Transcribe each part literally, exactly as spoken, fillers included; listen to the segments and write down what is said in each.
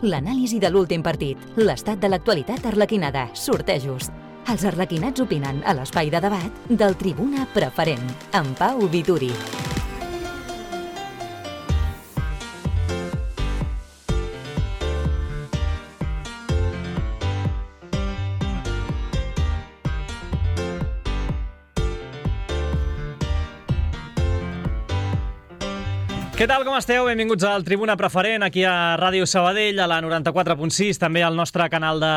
l'anàlisi de l'últim partit, l'estat de l'actualitat arlequinada, sortejos. Els arlequinats opinen a l'espai de debat del Tribuna Preferent, amb Pau Vituri. Què tal, com esteu? Benvinguts al Tribuna Preferent, aquí a Ràdio Sabadell, a la noranta-quatre punt sis, també al nostre canal de,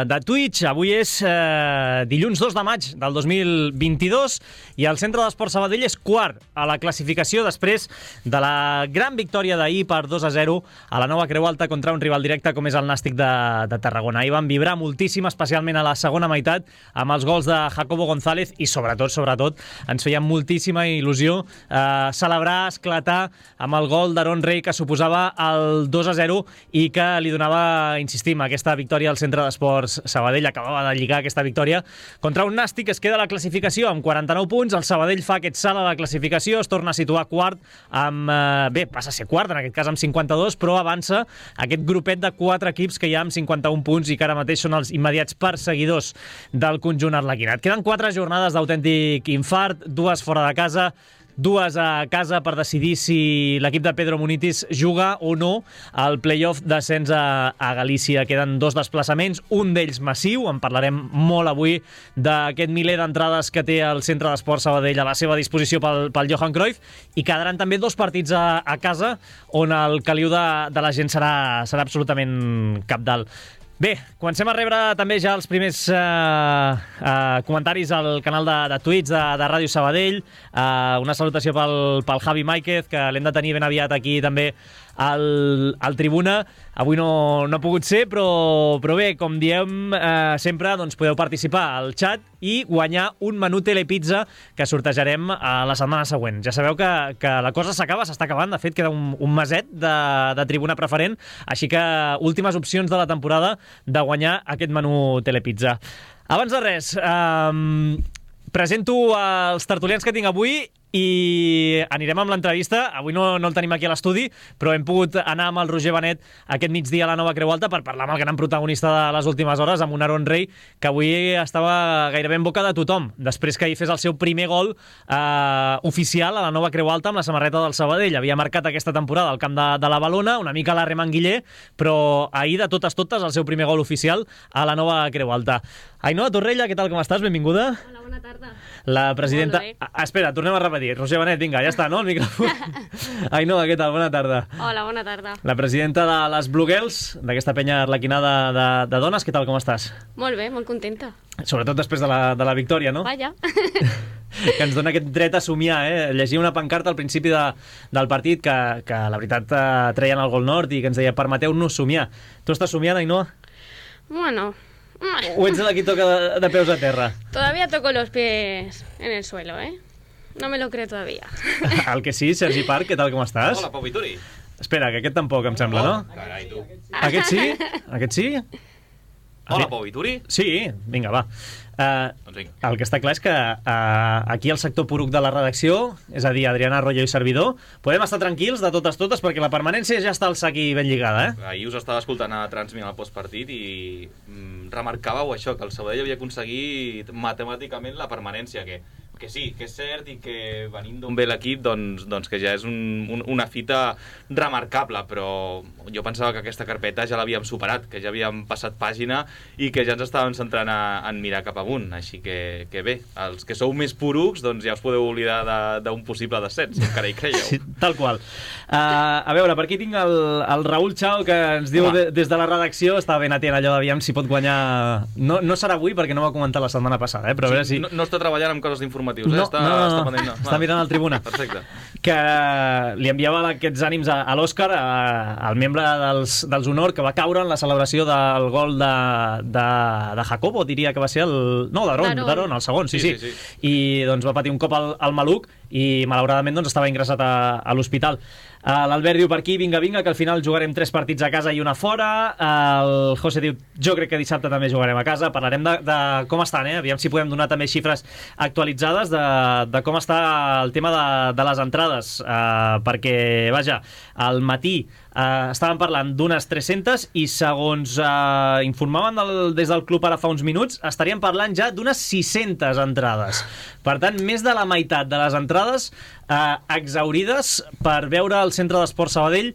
de Twitch. Avui és eh, dilluns dos de maig del dos mil vint-i-dos i el Centre d'Esports Sabadell és quart a la classificació després de la gran victòria d'ahir per dos a zero a la Nova Creu Alta contra un rival directe com és el Nàstic de, de Tarragona. Ahir van vibrar moltíssim, especialment a la segona meitat, amb els gols de Jacobo González i sobretot, sobretot, ens feia moltíssima il·lusió eh, celebrar, esclatar amb el gol d'Aaron Rey que suposava el dos a zero i que li donava, insistim, aquesta victòria al Centre d'Esports Sabadell. Acabava de lligar aquesta victòria contra un Nàstic que es queda a la classificació amb quaranta-nou punts. El Sabadell fa aquest salt a la classificació, es torna a situar quart amb... Eh, bé, passa a ser quart, en aquest cas amb cinquanta-dos, però avança aquest grupet de quatre equips que hi ha amb cinquanta-un punts i que ara mateix són els immediats perseguidors del conjunt arlequinat. Queden quatre jornades d'autèntic infart, dues fora de casa, dues a casa per decidir si l'equip de Pedro Munitis juga o no al play-off d'ascens a, a Galícia. Queden dos desplaçaments, un d'ells massiu, en parlarem molt avui d'aquest miler d'entrades que té el Centre d'Esports Sabadell a la seva disposició pel, pel Johan Cruyff, i quedaran també dos partits a, a casa on el caliu de, de la gent serà, serà absolutament cabdal. Bé, comencem a rebre també ja els primers eh, eh, comentaris al canal de, de Twitch de, de Ràdio Sabadell. Eh, una salutació pel, pel Javi Máiquez, que l'hem de tenir ben aviat aquí també al, al Tribuna. Avui no, no ha pogut ser, però, però bé, com diem eh, sempre, doncs podeu participar al chat i guanyar un menú Telepizza que sortejarem a la setmana següent. Ja sabeu que, que la cosa s'acaba, s'està acabant. De fet, queda un, un meset de, de Tribuna Preferent, així que últimes opcions de la temporada de guanyar aquest menú Telepizza. Abans de res, eh, presento els tertulians que tinc avui i anirem amb l'entrevista. Avui no, no el tenim aquí a l'estudi, però hem pogut anar amb el Roger Benet aquest migdia a la Nova Creu Alta per parlar amb el gran protagonista de les últimes hores, amb un Aaron Rey que avui estava gairebé en boca de tothom, després que ahir fes el seu primer gol eh, oficial a la Nova Creu Alta amb la samarreta del Sabadell. Havia marcat aquesta temporada al camp de, de la Balona, una mica a la Remanguiller, però ahir de totes totes el seu primer gol oficial a la Nova Creu Alta. Ainhoa Torrella, què tal, com estàs? Benvinguda. Hola, bona tarda. La presidenta... Ah, espera, tornem a repetir. Roger Benet, vinga, ja està, no? El micròfon. Ainhoa, què tal? Bona tarda. Hola, bona tarda. La presidenta de les Blue Girls, d'aquesta penya arlequinada de, de dones, què tal, com estàs? Molt bé, molt contenta. Sobretot després de la, de la victòria, no? Vaja. Que ens dona aquest dret a somiar, eh? Llegia una pancarta al principi de, del partit que, que la veritat eh, treien el gol nord i que ens deia permeteu-nos somiar. Tu estàs somiant, Ainhoa? Bueno... O ets de qui toca de, de peus a terra? Todavía toco los pies en el suelo, ¿eh? No me lo creo todavía. El que sí, Sergi Parc, què tal, com estàs? Hola, Pau Vituri. Espera, que aquest tampoc, em sembla, no? Carai, tu. Aquest sí? Aquest sí? Hola, Pau Vituri. Sí, vinga, va. Uh, doncs vinga. El que està clar és que uh, aquí el sector poruc de la redacció, és a dir, Adriana Arroyo i servidor, podem estar tranquils de totes totes perquè la permanència ja està al sac i ben lligada, eh? Ahir us estava escoltant a Transmit al postpartit i mm, remarcàveu això, que el Sabadell havia aconseguit matemàticament la permanència, que, que sí, que és cert i que venint d'on ve l'equip, doncs, doncs que ja és un, un, una fita remarcable, però jo pensava que aquesta carpeta ja l'havíem superat, que ja havíem passat pàgina i que ja ens estàvem centrant a, en mirar cap amunt, així que, que bé, els que sou més porucs, doncs ja us podeu oblidar d'un possible descens, si encara hi creieu. Sí, tal qual. Uh, a veure, per aquí tinc el, el Raül Chao, que ens diu de, des de la redacció, està ben atent allò d'aviam si pot guanyar... No, no serà avui perquè no va comentar la setmana passada, eh? Però a veure si... No, no està treballant amb coses d'informatius, eh? No, està, no, no, està, no. pendent, no. Està mirant el Tribuna. Perfecte. Que li enviava aquests ànims a, a l'Òscar, al membre dels, dels Honor, que va caure en la celebració del gol de, de, de Jacobo, diria que va ser el... No, d'Aaron, d'Aaron, el segon, sí, sí, sí. sí, sí. I doncs va patir un cop al, al maluc i malauradament doncs, estava ingressat a, a l'hospital. Uh, L'Albert diu per aquí, vinga, vinga, que al final jugarem tres partits a casa i una fora. Uh, el José diu, jo crec que dissabte també jugarem a casa. Parlarem de, de com estan, eh? Aviam si podem donar també xifres actualitzades de, de com està el tema de, de les entrades, uh, perquè, vaja, al matí Uh, estàvem parlant d'unes tres-centes i segons uh, informaven del, des del club ara fa uns minuts, estaríem parlant ja d'unes sis-centes entrades. Per tant, més de la meitat de les entrades uh, exhaurides per veure el Centre d'Esports Sabadell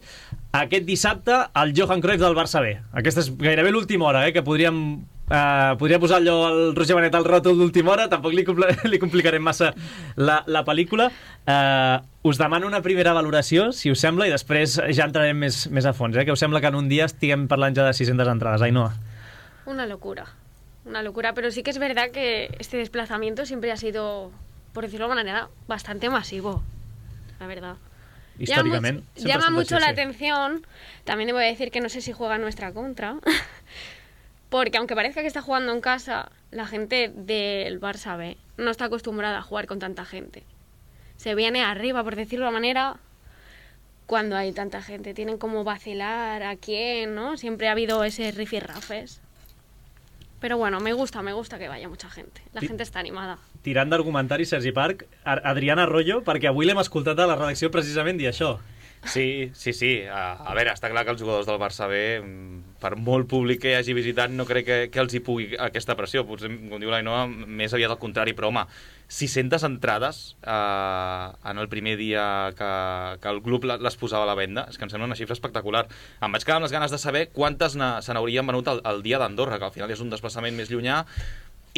aquest dissabte al Johan Cruyff del Barça B. Aquesta és gairebé l'última hora, eh, que podríem Uh, podria posar allò al Roger Benet al ròtol d'última hora, tampoc li, compl li complicarem massa la, la pel·lícula. Uh, us demano una primera valoració, si us sembla, i després ja entrarem més, més a fons, eh? Que us sembla que en un dia estiguem parlant ja de sis-centes entrades, Ainhoa? Una locura, una locura, pero sí que es verdad que este desplazamiento siempre ha sido, por decirlo de una manera, bastante masivo, la verdad. Históricamente. Llama, llama mucho la atención, también debo decir que no sé si juega en nuestra contra, porque aunque parezca que está jugando en casa, la gente del Barça B no está acostumbrada a jugar con tanta gente. Se viene arriba, por decirlo de una manera, cuando hay tanta gente. Tienen como vacilar a quién, ¿no? Siempre ha habido ese rifirrafes. Pero bueno, me gusta, me gusta que vaya mucha gente. La gente està animada. Tirant d'argumentari, Sergi Parc, Adrián Arroyo, perquè avui l'hem escoltat a la redacció precisament dir això. Sí, sí, sí. A, a veure, està clar que els jugadors del Barça B, per molt públic que hagi visitat, no crec que, que els hi pugui aquesta pressió. Potser, com diu l'Ainhoa, més aviat al contrari. Però, home, sis-centes entrades eh, en el primer dia que, que el club les posava a la venda, és que em sembla una xifra espectacular. Em vaig quedar amb les ganes de saber quantes se n'haurien venut el, el dia d'Andorra, que al final és un desplaçament més llunyà,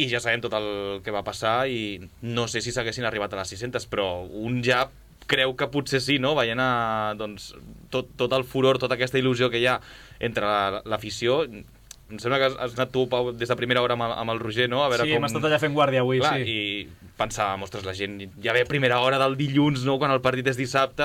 i ja sabem tot el que va passar, i no sé si s'haguessin arribat a les sis-centes, però un ja creu que potser sí, no? Veient a, doncs, tot, tot el furor, tota aquesta il·lusió que hi ha entre l'afició. Em sembla que has anat tu, Pau, des de primera hora amb el, amb el Roger, no? A veure sí, com... hem estat allà fent guàrdia avui, clar, sí. I pensava, ostres, la gent ja ve a primera hora del dilluns, no?, quan el partit és dissabte,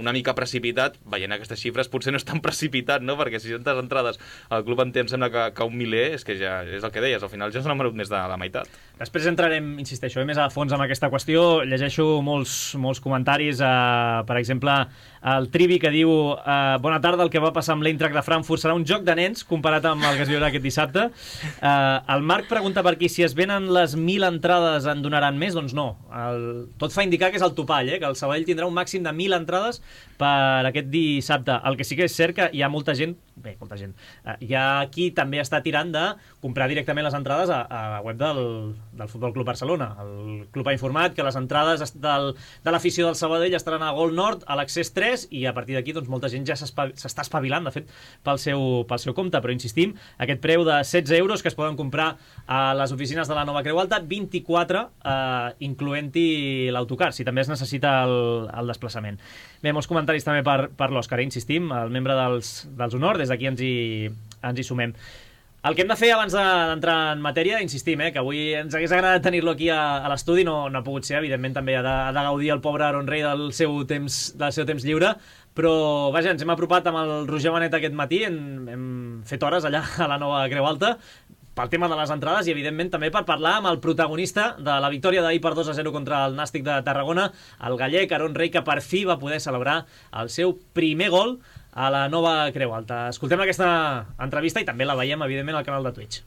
una mica precipitat. Veient aquestes xifres potser no és tan precipitat, no?, perquè si sis-centes entrades al club en té, em sembla que, que un miler, és que ja és el que deies, al final ja se n'han venut més de la meitat. Després entrarem, insisteixo, eh, més a fons amb aquesta qüestió. Llegeixo molts, molts comentaris, eh, per exemple, el Trivi, que diu eh, bona tarda, el que va passar amb l'Eintracht de Frankfurt serà un joc de nens comparat amb el que es viurà aquest dissabte. Eh, el Marc pregunta per aquí si es venen les mil entrades en donaran més. Doncs no, el, tot fa indicar que és el topall, eh, que el Sabadell tindrà un màxim de mil entrades per aquest dissabte. El que sí que és cert que hi ha molta gent, bé, molta gent, eh, hi ha qui també està tirant de comprar directament les entrades a, a la web del, del Futbol Club Barcelona. El club ha informat que les entrades del, de l'afició del Sabadell estaran a Gol Nord, a l'Accés tres, i a partir d'aquí doncs, molta gent ja s'està espavilant, de fet, pel seu, pel seu compte. Però insistim, aquest preu de setze euros que es poden comprar a les oficines de la Nova Creu Alta, vint-i-quatre, eh, incloent-hi l'autocar, si també es necessita el, el desplaçament. Bé, molts comentaris també per, per l'Òscar, eh, insistim, el membre dels, dels Honor, des d'aquí ens, hi, ens hi sumem. El que hem de fer abans d'entrar en matèria, insistim, eh, que avui ens hagués agradat tenir-lo aquí a, a l'estudi, no, no ha pogut ser, evidentment també ha de, ha de gaudir el pobre Aaron Rey del seu temps, del seu temps lliure, però vaja, ens hem apropat amb el Roger Benet aquest matí, hem, hem fet hores allà a la Nova Creu Alta, pel tema de les entrades i, evidentment, també per parlar amb el protagonista de la victòria d'ahir per dos a zero contra el Nàstic de Tarragona, el gallec Aaron Rey, que per fi va poder celebrar el seu primer gol a la Nova Creu Alta. Escoltem aquesta entrevista i també la veiem, evidentment, al canal de Twitch.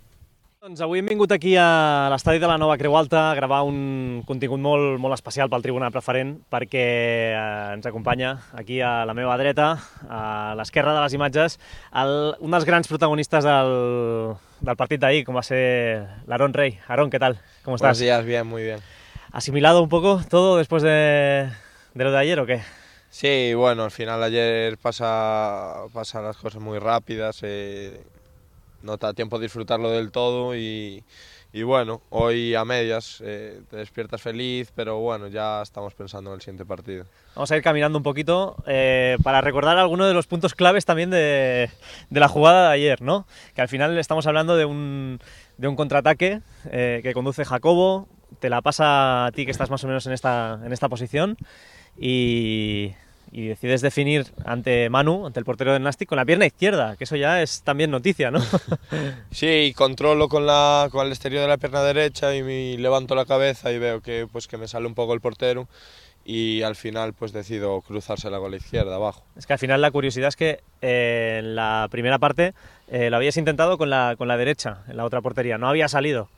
Doncs avui hem vingut aquí a l'estadi de la Nova Creu Alta a gravar un contingut molt, molt especial pel Tribuna Preferent, perquè eh, ens acompanya aquí a la meva dreta, a l'esquerra de les imatges, el, un dels grans protagonistas del, del partit d'ahir, com va ser l'Aaron Rey. Aaron, ¿qué tal? ¿Cómo estás? Buenos días, bien, muy bien. ¿Asimilado un poco todo después de, de lo de ayer o qué? Sí, bueno, al final ayer pasa, pasan las cosas muy rápidas, eh, no te da tiempo de disfrutarlo del todo y, y bueno, hoy a medias eh, te despiertas feliz, pero bueno, ya estamos pensando en el siguiente partido. Vamos a ir caminando un poquito eh, para recordar algunos de los puntos claves también de, de la jugada de ayer, ¿no? Que al final estamos hablando de un, de un contraataque eh, que conduce Jacobo, te la pasa a ti que estás más o menos en esta, en esta posición y... y decides definir ante Manu, ante el portero del Nàstic, con la pierna izquierda, que eso ya es también noticia, ¿no? Sí, controlo con, la, con el exterior de la pierna derecha y me levanto la cabeza y veo que, pues, que me sale un poco el portero y al final pues decido cruzársela con la izquierda abajo. Es que al final la curiosidad es que eh, en la primera parte eh, lo habías intentado con la, con la derecha, en la otra portería, no había salido.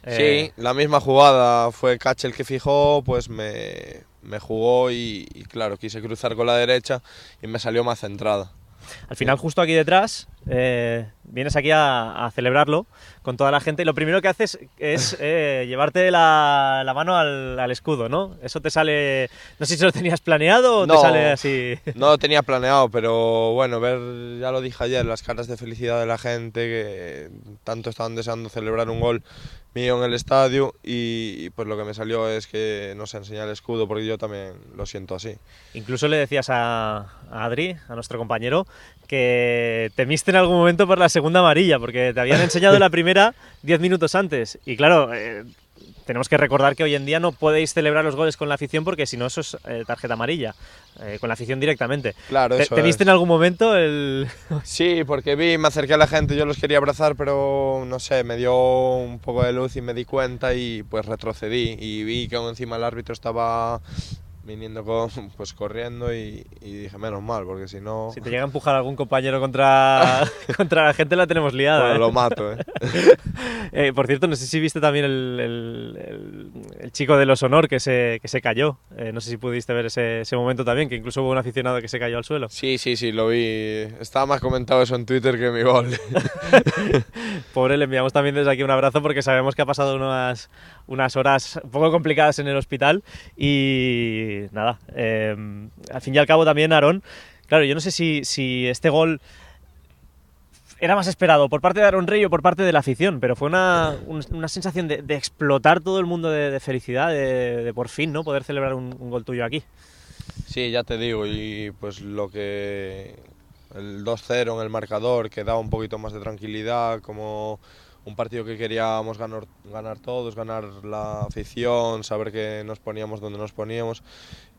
Eh... Sí, la misma jugada, fue Cache el que fijó, pues me, me jugó y, y claro, quise cruzar con la derecha y me salió más centrada. Al final, justo aquí detrás, eh, vienes aquí a, a celebrarlo con toda la gente y lo primero que haces es eh, llevarte la, la mano al, al escudo, ¿no? Eso te sale... No sé si lo tenías planeado o no, te sale así... No lo tenía planeado, pero bueno, ver, ya lo dije ayer, las caras de felicidad de la gente que tanto estaban deseando celebrar un gol mío en el estadio y, y pues lo que me salió es que no se enseña el escudo porque yo también lo siento así. Incluso le decías a, a Adri, a nuestro compañero, que temiste en algún momento por la segunda amarilla porque te habían enseñado la primera diez minutos antes y claro, eh, tenemos que recordar que hoy en día no podéis celebrar los goles con la afición porque si no eso es eh, tarjeta amarilla, eh, con la afición directamente. Claro, eso ¿Te viste es. en algún momento el...? Sí, porque vi, me acerqué a la gente, yo los quería abrazar, pero no sé, me dio un poco de luz y me di cuenta y pues retrocedí y vi que aún encima el árbitro estaba viniendo con, pues corriendo y, y dije menos mal, porque si no... Si te llega a empujar algún compañero contra, contra la gente la tenemos liada. Bueno, ¿eh? lo mato, ¿eh? eh, por cierto, no sé si viste también el, el, el, el chico de los Honor que se, que se cayó. Eh, no sé si pudiste ver ese, ese momento también, que incluso hubo un aficionado que se cayó al suelo. Sí, sí, sí, lo vi. Estaba más comentado eso en Twitter que mi gol. Pobre, le enviamos también desde aquí un abrazo porque sabemos que ha pasado unas, unas horas un poco complicadas en el hospital y nada, eh, al fin y al cabo también, Aarón, claro, yo no sé si, si este gol era más esperado por parte de Aarón Rey o por parte de la afición, pero fue una, una sensación de, de explotar todo el mundo de, de felicidad, de, de por fin, ¿no?, poder celebrar un, un gol tuyo aquí. Sí, ya te digo, y pues lo que... el dos cero en el marcador, que daba un poquito más de tranquilidad, como un partido que queríamos ganar, ganar todos, ganar la afición, saber que nos poníamos donde nos poníamos.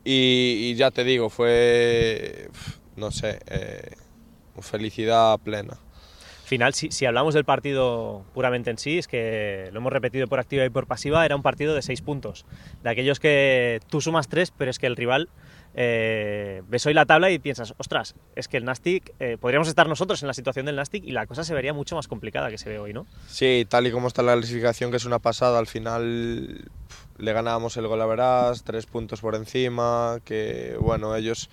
Y, y ya te digo, fue, no sé, eh, felicidad plena. Final, si, si hablamos del partido puramente en sí, es que lo hemos repetido por activa y por pasiva, era un partido de seis puntos. De aquellos que tú sumas tres, pero es que el rival... Eh, ves hoy la tabla y piensas, ostras, es que el Nastic, eh, podríamos estar nosotros en la situación del Nastic y la cosa se vería mucho más complicada que se ve hoy, ¿no? Sí, tal y como está la clasificación, que es una pasada, al final pff, le ganábamos el gol a Verás, tres puntos por encima, que bueno, ellos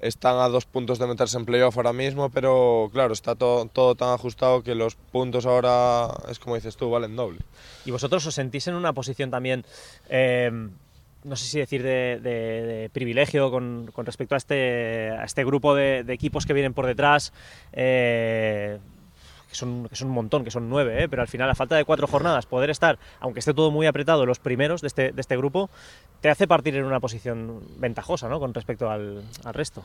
están a dos puntos de meterse en playoff ahora mismo, pero claro, está todo, todo tan ajustado que los puntos ahora, es como dices tú, valen doble. ¿Y vosotros os sentís en una posición también... Eh, no sé si decir de, de, de privilegio con, con respecto a este, a este grupo de, de equipos que vienen por detrás, eh, que, son, que son un montón, que son nueve, eh, pero al final a falta de cuatro jornadas poder estar, aunque esté todo muy apretado, los primeros de este, de este grupo, te hace partir en una posición ventajosa, ¿no?, con respecto al, al resto?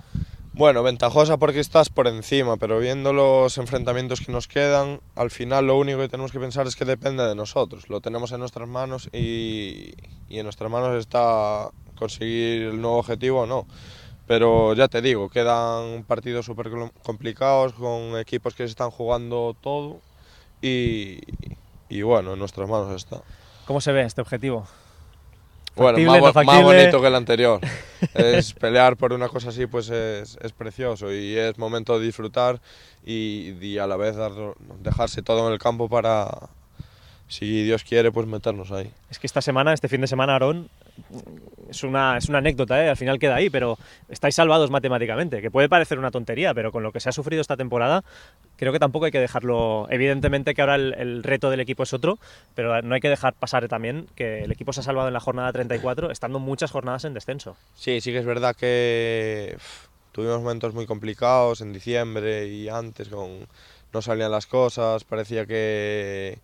Bueno, ventajosa porque estás por encima, pero viendo los enfrentamientos que nos quedan, al final lo único que tenemos que pensar es que depende de nosotros. Lo tenemos en nuestras manos y, y en nuestras manos está conseguir el nuevo objetivo o no. Pero ya te digo, quedan partidos súper complicados con equipos que se están jugando todo y, y bueno, en nuestras manos está. ¿Cómo se ve este objetivo? Bueno, más, no más bonito que el anterior. Es pelear por una cosa así, pues es, es precioso y es momento de disfrutar y, y a la vez dar, dejarse todo en el campo para, si Dios quiere, pues meternos ahí. Es que esta semana, este fin de semana, Aarón, es una, es una anécdota, ¿eh? Al final queda ahí, pero estáis salvados matemáticamente, que puede parecer una tontería, pero con lo que se ha sufrido esta temporada, creo que tampoco hay que dejarlo. Evidentemente que ahora el, el reto del equipo es otro, pero no hay que dejar pasar también que el equipo se ha salvado en la jornada treinta y cuatro, estando muchas jornadas en descenso. Sí, sí que es verdad que uf, tuvimos momentos muy complicados en diciembre y antes, con, no salían las cosas, parecía que...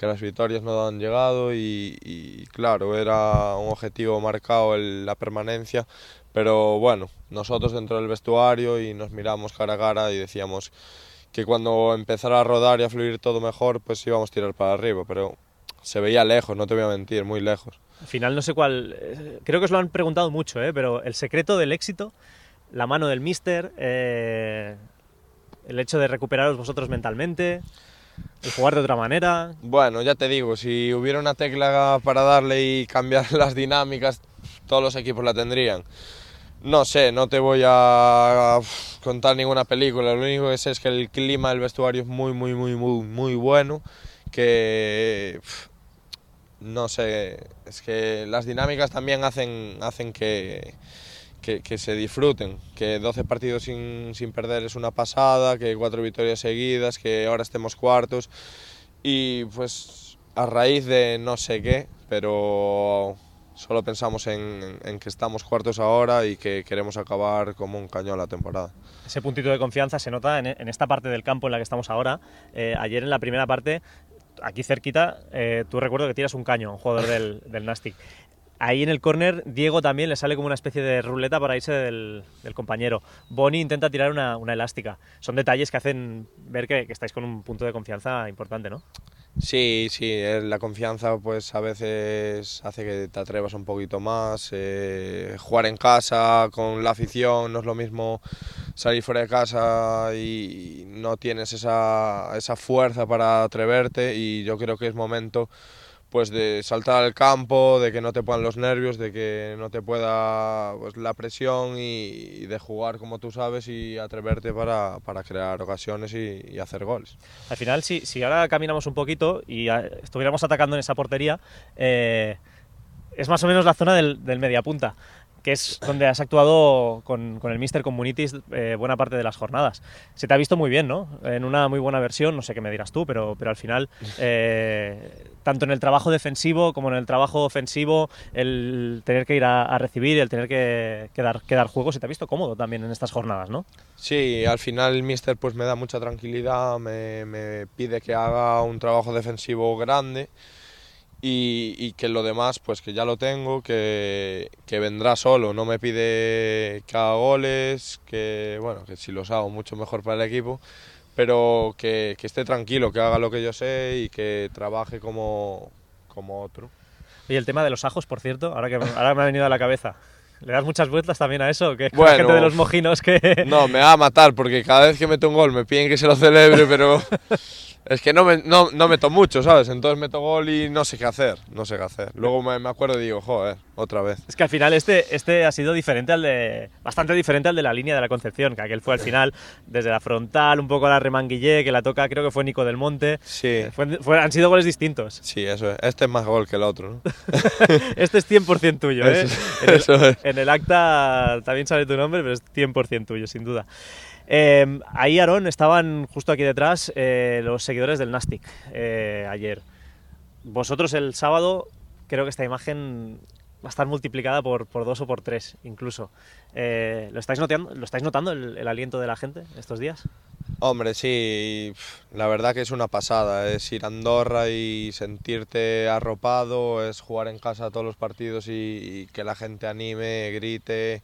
que las victorias no han llegado y, y claro, era un objetivo marcado el, la permanencia, pero bueno, nosotros dentro del vestuario y nos miramos cara a cara y decíamos que cuando empezara a rodar y a fluir todo mejor, pues íbamos a tirar para arriba, pero se veía lejos, no te voy a mentir, muy lejos. Al final no sé cuál, creo que os lo han preguntado mucho, ¿eh? Pero el secreto del éxito, la mano del míster, eh, el hecho de recuperaros vosotros mentalmente... ¿Y jugar de otra manera? Bueno, ya te digo, si hubiera una tecla para darle y cambiar las dinámicas, todos los equipos la tendrían. No sé, no te voy a contar ninguna película, lo único que sé es que el clima del vestuario es muy, muy, muy, muy, muy bueno, que no sé, es que las dinámicas también hacen, hacen que, que, que se disfruten, que doce partidos sin, sin perder es una pasada, que cuatro victorias seguidas, que ahora estemos cuartos y pues a raíz de no sé qué, pero solo pensamos en, en que estamos cuartos ahora y que queremos acabar como un cañón la temporada. Ese puntito de confianza se nota en, en esta parte del campo en la que estamos ahora. Eh, ayer en la primera parte, aquí cerquita, eh, tú recuerdo que tiras un caño, un jugador del, del Nastic. Ahí en el córner, Diego también le sale como una especie de ruleta para irse del, del compañero. Boni intenta tirar una, una elástica. Son detalles que hacen ver que, que estáis con un punto de confianza importante, ¿no? Sí, sí, la confianza pues a veces hace que te atrevas un poquito más. Eh, jugar en casa con la afición no es lo mismo salir fuera de casa y no tienes esa, esa fuerza para atreverte, y yo creo que es momento pues de saltar al campo, de que no te puedan los nervios, de que no te pueda pues, la presión y, y de jugar como tú sabes y atreverte para, para crear ocasiones y, y hacer goles. Al final, si, si ahora caminamos un poquito y a, estuviéramos atacando en esa portería, eh, es más o menos la zona del, del mediapunta, que es donde has actuado con, con el míster Comunitis eh, buena parte de las jornadas. Se te ha visto muy bien, ¿no? En una muy buena versión, no sé qué me dirás tú, pero, pero al final, eh, tanto en el trabajo defensivo como en el trabajo ofensivo, el tener que ir a, a recibir, el tener que, que, dar, que dar juego, se te ha visto cómodo también en estas jornadas, ¿no? Sí, al final el míster pues me da mucha tranquilidad, me, me pide que haga un trabajo defensivo grande, Y, y que lo demás pues que ya lo tengo, que, que vendrá solo, no me pide que haga goles, que bueno, que si los hago mucho mejor para el equipo, pero que, que esté tranquilo, que haga lo que yo sé y que trabaje como, como otro. Y el tema de los ajos, por cierto, ahora que ahora me ha venido a la cabeza, ¿le das muchas vueltas también a eso? Que bueno, la gente de los mojinos que... No, me va a matar porque cada vez que meto un gol me piden que se lo celebre, pero... Es que no, me, no, no meto mucho, ¿sabes? Entonces meto gol y no sé qué hacer, no sé qué hacer. Luego me, me acuerdo y digo, joder, otra vez. Es que al final este, este ha sido diferente al de... Bastante diferente al de la línea de la Concepción, que aquel fue al final desde la frontal, un poco a la remanguillé, que la toca creo que fue Nico del Monte. Sí. Fue, fue, han sido goles distintos. Sí, eso es. Este es más gol que el otro, ¿no? Este es cien por ciento tuyo, ¿eh? Eso, en, el, eso es. en el acta también sale tu nombre, pero es cien por ciento tuyo, sin duda. Eh, ahí, Aarón, estaban justo aquí detrás eh, los seguidores del Nastic eh, ayer. Vosotros el sábado, creo que esta imagen va a estar multiplicada por, por dos o por tres incluso. Eh, ¿lo, estáis notando, ¿Lo estáis notando el, el aliento de la gente estos días? Hombre, sí, la verdad que es una pasada, es ir a Andorra y sentirte arropado, es jugar en casa todos los partidos y, y que la gente anime, grite,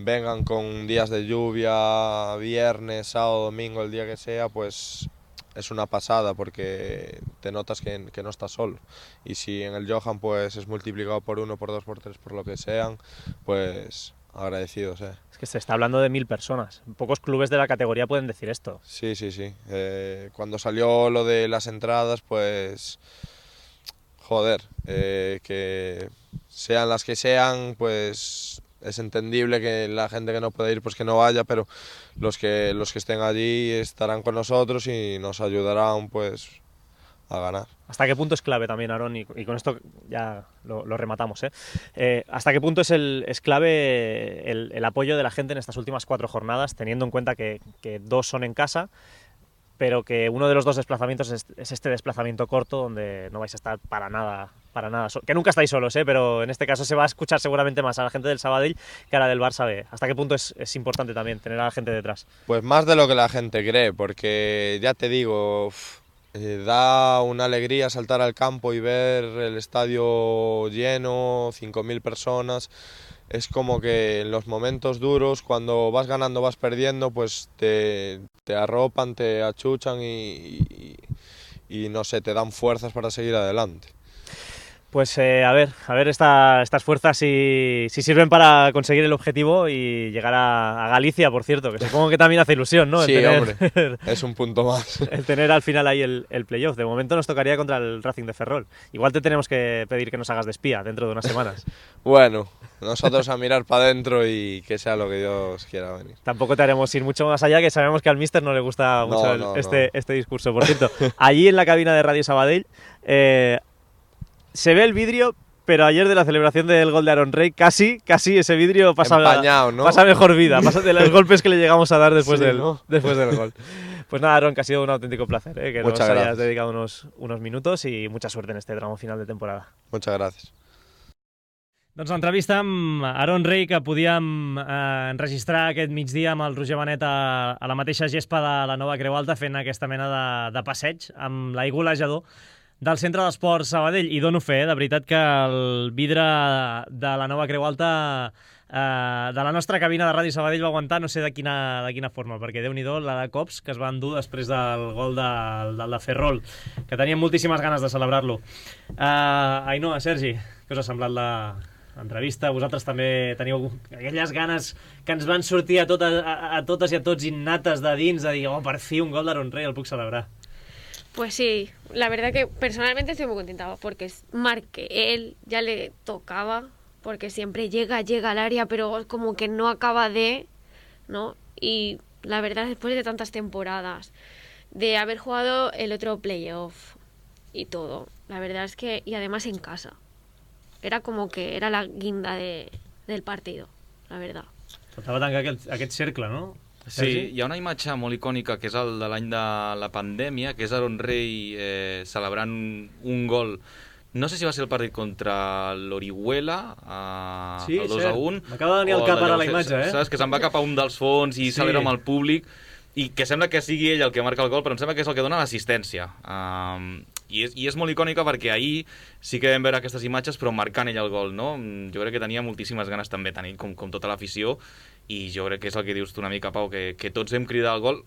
vengan con días de lluvia, viernes, sábado, domingo, el día que sea, pues es una pasada porque te notas que, que no estás solo. Y si en el Johan pues es multiplicado por uno, por dos, por tres, por lo que sean, pues agradecidos, eh. Es que se está hablando de mil personas. Pocos clubes de la categoría pueden decir esto. Sí, sí, sí. Eh, cuando salió lo de las entradas, pues joder, eh, que sean las que sean, pues es entendible que la gente que no puede ir pues que no vaya, pero los que los que estén allí estarán con nosotros y nos ayudarán pues a ganar. ¿Hasta qué punto es clave también, Aarón? Y, y con esto ya lo, lo rematamos, ¿eh? Eh, ¿Hasta qué punto es, el, es clave el, el apoyo de la gente en estas últimas cuatro jornadas, teniendo en cuenta que, que dos son en casa, pero que uno de los dos desplazamientos es, es este desplazamiento corto donde no vais a estar para nada, para nada, so que nunca estáis solos, ¿eh? Pero en este caso se va a escuchar seguramente más a la gente del Sabadell que a la del Barça B. ¿Hasta qué punto es, es importante también tener a la gente detrás? Pues más de lo que la gente cree, porque ya te digo, uff, eh, da una alegría saltar al campo y ver el estadio lleno, cinco mil personas. Es como que en los momentos duros, cuando vas ganando, vas perdiendo, pues te, te arropan, te achuchan y, y, y no sé, te dan fuerzas para seguir adelante. Pues eh, a ver, a ver esta, estas fuerzas si, si sirven para conseguir el objetivo y llegar a, a Galicia, por cierto, que supongo que también hace ilusión, ¿no? El Sí, tener, hombre, es un punto más. El tener al final ahí el, el playoff. De momento nos tocaría contra el Racing de Ferrol. Igual te tenemos que pedir que nos hagas de espía dentro de unas semanas. Bueno, nosotros a mirar para adentro y que sea lo que Dios quiera venir. Tampoco te haremos ir mucho más allá, que sabemos que al míster no le gusta mucho No, el- no, este, no. este discurso. Por cierto, allí en la cabina de Radio Sabadell eh, se ve el vidrio, pero ayer de la celebración del gol de Aaron Rey, casi, casi ese vidrio pasa, Empañado, ¿no? pasa mejor vida, pasa de los golpes que le llegamos a dar después, Sí, del, ¿no? después del gol. Pues nada, Aaron, que ha sido un auténtico placer, ¿eh? que Muchas nos hayas gracias. dedicado unos, unos minutos y mucha suerte en este tramo final de temporada. Muchas gracias. Doncs l'entrevista amb Aaron Rey, que podíem eh, enregistrar aquest migdia amb el Roger Benet a, a la mateixa gespa de la Nova Creu Alta, fent aquesta mena de, de passeig amb l'aigua golejador del Centre d'Esports Sabadell. I dono fe, eh, de veritat, que el vidre de la Nova Creu Alta, eh, de la nostra cabina de Ràdio Sabadell, va aguantar no sé de quina, de quina forma, perquè Déu-n'hi-do la de cops que es va endur després del gol del, del de Ferrol, que teníem moltíssimes ganes de celebrar-lo. Uh, Ainhoa, Sergi, què us ha semblat la entrevista? Vosaltres també teniu aquelles ganes que ens van sortir a, tot, a, a totes i a tots innates de dins, de dir, oh, per fi un gol d'Aaron Rey, el puc celebrar. Pues sí, la verdad que personalmente estoy muy contenta porque es marque él, ya le tocaba, porque siempre llega, llega al área, pero como que no acaba de, ¿no? Y la verdad, después de tantas temporadas, de haber jugado el otro playoff y todo, la verdad es que, y además en casa, era como que era la guinda de, del partido, la verdad. Faltava tancar aquest, aquest cercle, no? Sí, hi ha una imatge molt icònica que és el de l'any de la pandèmia, que és Aaron Rey eh, celebrant un gol. No sé si va ser el partit contra l'Orihuela, eh, Sí, el dos cert. a un. M'acaba de venir al o cap ara d'allò, la imatge, eh? Saps? Que se'n va cap a un dels fons i Sí. celebra amb el públic, i que sembla que sigui ell el que marca el gol, però em sembla que és el que dona l'assistència. Um, i, és, I és molt icònica perquè ahir sí que vam veure aquestes imatges, però marcant ell el gol, no? Jo crec que tenia moltíssimes ganes també, tant ell com, com tota l'afició, i jo crec que és el que dius tu una mica, Pau, que, que tots vam cridar el gol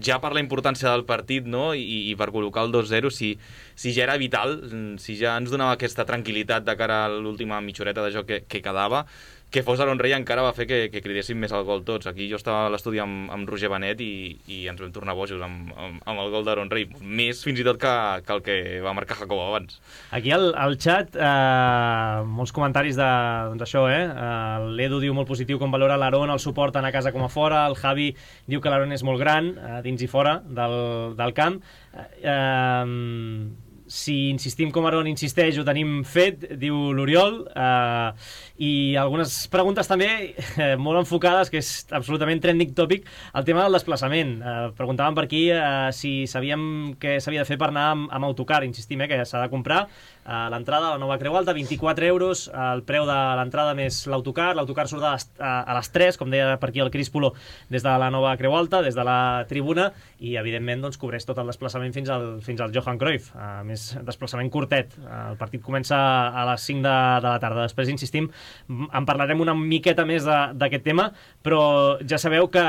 ja per la importància del partit, no? I, i per col·locar el dos zero, si, si ja era vital, si ja ens donava aquesta tranquil·litat de cara a l'última mitjoreta de joc que, que quedava, que fos Aaron Rey encara va fer que, que cridéssim més el gol tots. Aquí jo estava a l'estudi amb, amb Roger Benet i, i ens vam tornar bojos amb, amb, amb el gol d'Aaron Rey, més fins i tot que, que el que va marcar Jacob abans. Aquí al, al xat, eh, molts comentaris de, doncs això, eh? Uh, L'Edu diu molt positiu com valora l'Aaron, el suport tant a casa com a fora, el Javi diu que l'Aaron és molt gran, uh, dins i fora del, del camp. Uh, uh, si insistim com Aaron insisteix, ho tenim fet, diu l'Oriol, eh, i algunes preguntes també eh, molt enfocades, que és absolutament trending topic, el tema del desplaçament. Eh, preguntaven per aquí eh, si sabíem què s'havia de fer per anar amb, amb autocar. Insistim, eh, que s'ha de comprar eh, l'entrada a la Nova Creu Alta, vint-i-quatre euros, el preu de l'entrada més l'autocar. L'autocar surt a les, a, a les tres, com deia per aquí el Cris Polo, des de la Nova Creu Alta, des de la tribuna, i evidentment doncs, cobreix tot el desplaçament fins al, fins al Johan Cruyff. Uh, més desplaçament curtet. Uh, el partit comença a les cinc de, de la tarda. Després, insistim, en parlarem una miqueta més d'aquest tema, però ja sabeu que,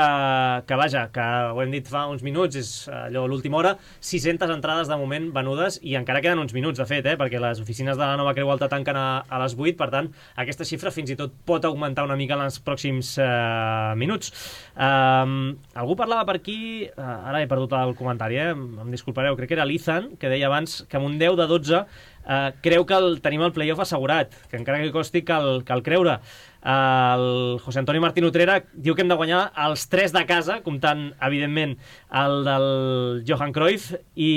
que vaja, que ho hem dit fa uns minuts, és allò l'última hora, sis-centes entrades de moment venudes, i encara queden uns minuts, de fet, eh, perquè les oficines de la Nova Creu Alta tanquen a, a les vuit, per tant, aquesta xifra fins i tot pot augmentar una mica en els pròxims uh, minuts. Uh, algú parlava per aquí, uh, ara he perdut el comentari, eh, em disculpareu, crec que era l'Ethan, que deia abans que amb un deu de dotze uh, creu que el, tenim el playoff assegurat, que encara que costi cal, cal creure. Uh, el José Antonio Martín Utrera diu que hem de guanyar els tres de casa, comptant, evidentment, el del Johan Cruyff, i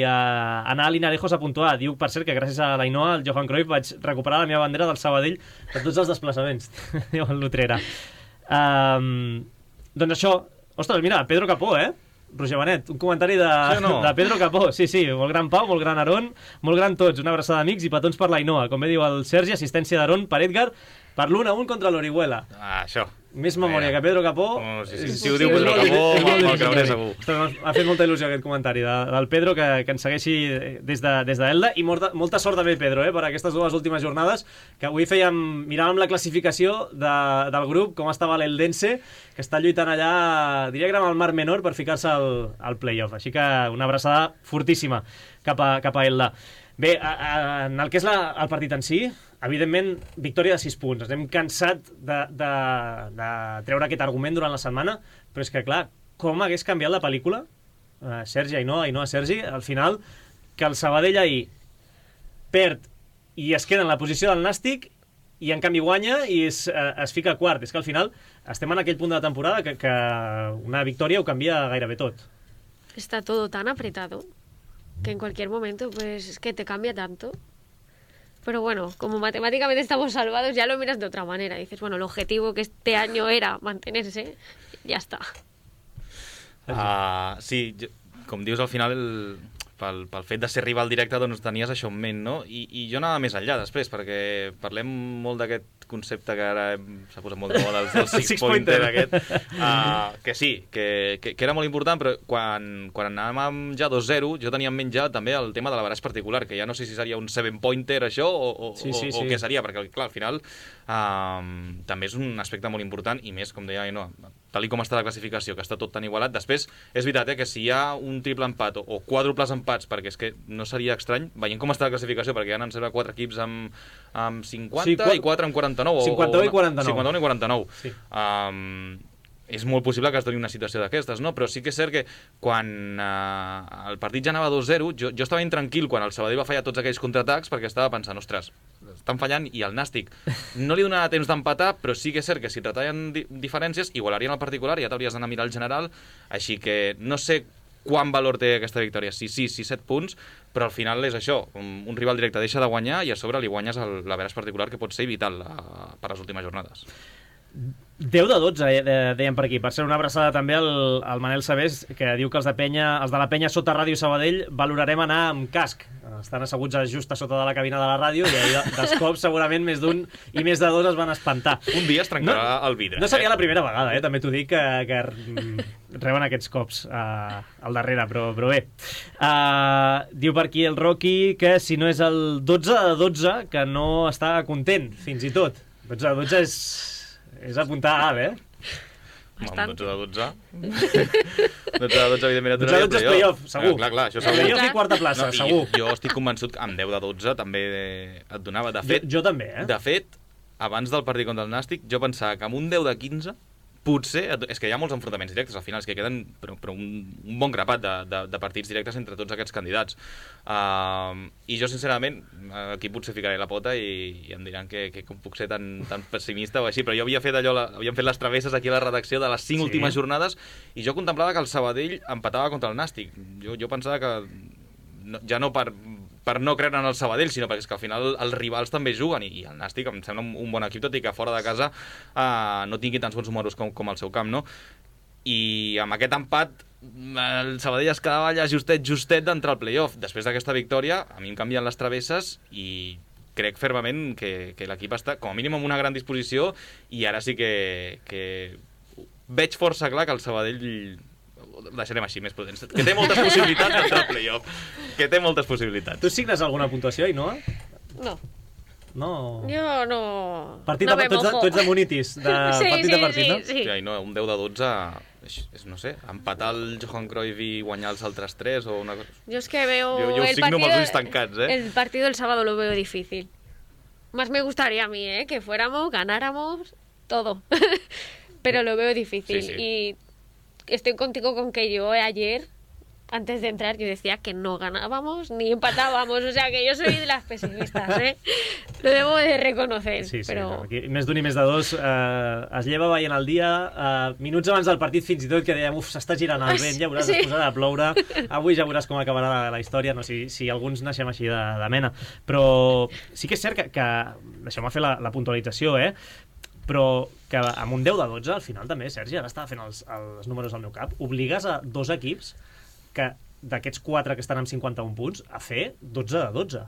uh, anar a Linarejos a puntuar. Diu, per cert, que gràcies a l'Ainoa, el Johan Cruyff, vaig recuperar la meva bandera del Sabadell per tots els desplaçaments, diu l'Utrera. Um, doncs això, ostres, mira, Pedro Capó, eh? Roger Benet, un comentari de, sí no? de Pedro Capó. Sí, sí, molt gran Pau, molt gran Aaron, molt gran tots, una abraçada d'amics i petons per l'Ainoa. Com bé diu el Sergi, assistència d'Aaron per Edgar, per l'un a un contra l'Orihuela. Ah, això. Més memòria que Pedro Capó. Oh, sí, sí. És, Si ho diu Pedro Capó, me'l creuré segur. M'ha fet molta il·lusió aquest comentari de, del Pedro, que, que ens segueixi des de, des d'Elda, i molta, molta sort també, Pedro, eh, per aquestes dues últimes jornades, que avui fèiem, miràvem la classificació de, del grup, com estava l'Eldense, que està lluitant allà, diria que era amb el Mar Menor, per ficar-se al, al playoff. Així que una abraçada fortíssima cap a, cap a Elda. Bé, a, a, en el que és la, el partit en si, evidentment, victòria de sis punts. Ens hem cansat de, de, de treure aquest argument durant la setmana, però és que, clar, com hagués canviat la pel·lícula, uh, Sergi, Ainhoa, Ainhoa, Sergi, al final, que el Sabadell ahir perd i es queda en la posició del Nàstic i en canvi guanya i es, uh, es fica quart. És que al final estem en aquell punt de la temporada que, que una victòria ho canvia gairebé tot. Está todo tan apretado que en cualquier momento, pues, es que te cambia tanto. Pero bueno, como matemáticamente estamos salvados, ya lo miras de otra manera. Dices, bueno, el objetivo que este año era mantenerse, ya está. Uh, sí, jo, com dius, al final, el, pel, pel fet de ser rival directe, doncs tenies això en ment, no? I, i jo anava més enllà després, perquè parlem molt d'aquest concepte que ara s'ha posat molt de moda, el six-pointer aquest, uh, que sí, que, que, que era molt important, però quan, quan anàvem ja dos zero, jo tenia en ment ja també el tema de l'averaç particular, que ja no sé si seria un seven-pointer això, o, o, sí, sí, o, o sí. què seria, perquè clar, al final uh, també és un aspecte molt important, i més, com deia, no, tal com està la classificació, que està tot tan igualat. Després, és veritat, eh, que si hi ha un triple empat o, o quàdruples empats, perquè és que no seria estrany, veient com està la classificació, perquè hi ha, em sembla, quatre equips amb, amb cinquanta sí, i quatre amb quaranta-nou. cinquanta-u i quaranta-nou. cinquanta-u i quaranta-nou. Sí. Um, és molt possible que es doni una situació d'aquestes, no? Però sí que és cert que quan uh, el partit ja anava dos zero, jo, jo estava intranquil quan el Sabadell va fallar tots aquells contraatacs, perquè estava pensant, ostres, estan fallant, i el Nàstic no li donarà temps d'empatar, però sí que és cert que si et retallen di diferències, igualarien el particular i ja t'hauries d'anar a mirar el general, així que no sé quant valor té aquesta victòria, si sis, si set punts, però al final és això, un, un rival directe deixa de guanyar i a sobre li guanyes l'averaç particular, que pot ser vital uh, per les últimes jornades. deu de dotze, eh, deien per aquí. Per ser una abraçada també al, al Manel Sabés, que diu que els de, Penya, els de la Penya sota Ràdio Sabadell valorarem anar amb casc. Estan asseguts just a sota de la cabina de la ràdio i ahir dels cops segurament més d'un i més de dos es van espantar. Un dia es trencarà no, el vidre. No seria eh? la primera vegada, eh? També t'ho dic, que, que reben aquests cops uh, al darrere, però, però bé. Uh, diu per aquí el Rocky que si no és el dotze de dotze, que no està content, fins i tot. dotze de dotze és... És apuntar alt, eh? Bastant. dotze de dotze. dotze de dotze, evidentment, dotze de dotze és playoff, segur. Ah, clar, clar, això segur. Playoff i quarta plaça, no, segur. Jo estic convençut que amb deu de dotze també et donava. De fet, jo, jo també, eh? De fet, abans del partit contra el Nàstic, jo pensava que amb un deu de quinze potser, és que hi ha molts enfrontaments directes al final, és que queden però, però un, un bon grapat de, de, de partits directes entre tots aquests candidats. Uh, I jo, sincerament, aquí potser ficaré la pota i, i em diran que, que com puc ser tan, tan pessimista o així, però jo havia fet allò, la, havíem fet les travesses aquí a la redacció de les cinc sí. últimes jornades i jo contemplava que el Sabadell empatava contra el Nàstic. Jo, jo pensava que no, ja no per, per no creure en el Sabadell, sinó perquè és que al final els rivals també juguen, i, i el Nàstic em sembla un, un bon equip, tot i que fora de casa uh, no tingui tants bons números com, com el seu camp, no? I amb aquest empat el Sabadell es quedava allà justet, justet d'entrar al playoff. Després d'aquesta victòria, a mi em canvien les travesses i crec fermament que, que l'equip està com a mínim amb una gran disposició, i ara sí que, que veig força clar que el Sabadell, deixarem així, més prudents, que té moltes possibilitats d'entrar al playoff, que té moltes possibilitats. Tu signes alguna puntuació, Ainhoa? No. No. Jo no... Partit no de, tu, ets de, tu ets de monitis, de sí, partit sí, de partit, sí, no? Sí, sí. No, un deu de dotze, és, és, no sé, empatar el Johan Cruyff i guanyar els altres tres o una cosa... Yo es que veo... Jo, jo el signo amb partido, els ulls tancats, eh? El partido del sábado lo veo difícil. Más me gustaría a mí, ¿eh? Que fuéramos, ganáramos, todo. Pero lo veo difícil. Sí, sí. Y estoy contigo con que yo ayer, antes de entrar, yo decía que no ganábamos ni empatábamos. O sea, que yo soy de las pesimistas, ¿eh? Lo debo de reconocer. Sí, sí, però... no, aquí, més d'un i més de dos eh, es lleva veient el dia, eh, minuts abans del partit fins i tot, que dèiem, uf, s'està girant el vent, ja veuràs, sí. Es posarà a ploure, avui ja veuràs com acabarà la, la història, no si, si alguns naixem així de, de mena. Però sí que és cert que, que deixeu-me fer la, la puntualització, eh? Però que amb un deu de dotze, al final també, Sergi, ara estava fent els, els números al meu cap, obligues a dos equips que d'aquests quatre que estan amb cinquanta-un punts a fer dotze de dotze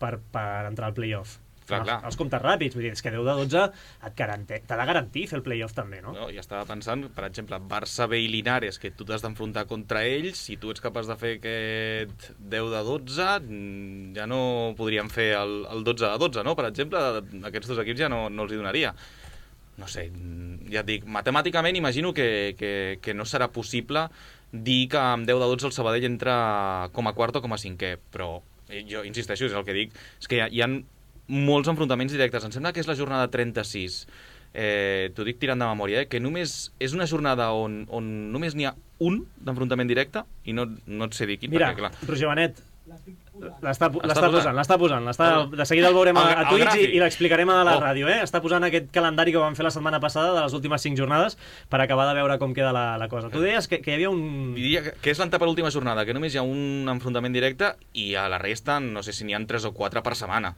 per, per entrar al playoff. Clar, clar. Els, els comptes ràpids, vull dir, és que deu de dotze et garante, t'ha de garantir fer el playoff també, no? No, i estava pensant, per exemple, Barça, B i Linares, que tu t'has d'enfrontar contra ells, si tu ets capaç de fer aquest deu de dotze, ja no podríem fer el, el dotze de dotze, no? Per exemple, aquests dos equips ja no, no els hi donaria. No sé, ja et dic, matemàticament imagino que, que, que no serà possible dir que amb deu de dotze el Sabadell entra com a quart o com a cinquè, però jo insisteixo, és el que dic, és que hi ha, hi ha molts enfrontaments directes. Em sembla que és la jornada trenta-sis, eh, t'ho dic tirant de memòria, eh, que només és una jornada on, on només n'hi ha un d'enfrontament directe i no, no et sé dir quin. Mira, perquè, clar... Roger Benet, l'està posant? posant, l'està posant. De seguida el veurem a, a Twitch i, i l'explicarem a la oh. ràdio. Eh? Està posant aquest calendari que vam fer la setmana passada de les últimes cinc jornades per acabar de veure com queda la, la cosa. Tu deies que, que hi havia un... Diria que és l'antepenúltima jornada, que només hi ha un enfrontament directe i a la resta no sé si n'hi ha tres o quatre per setmana.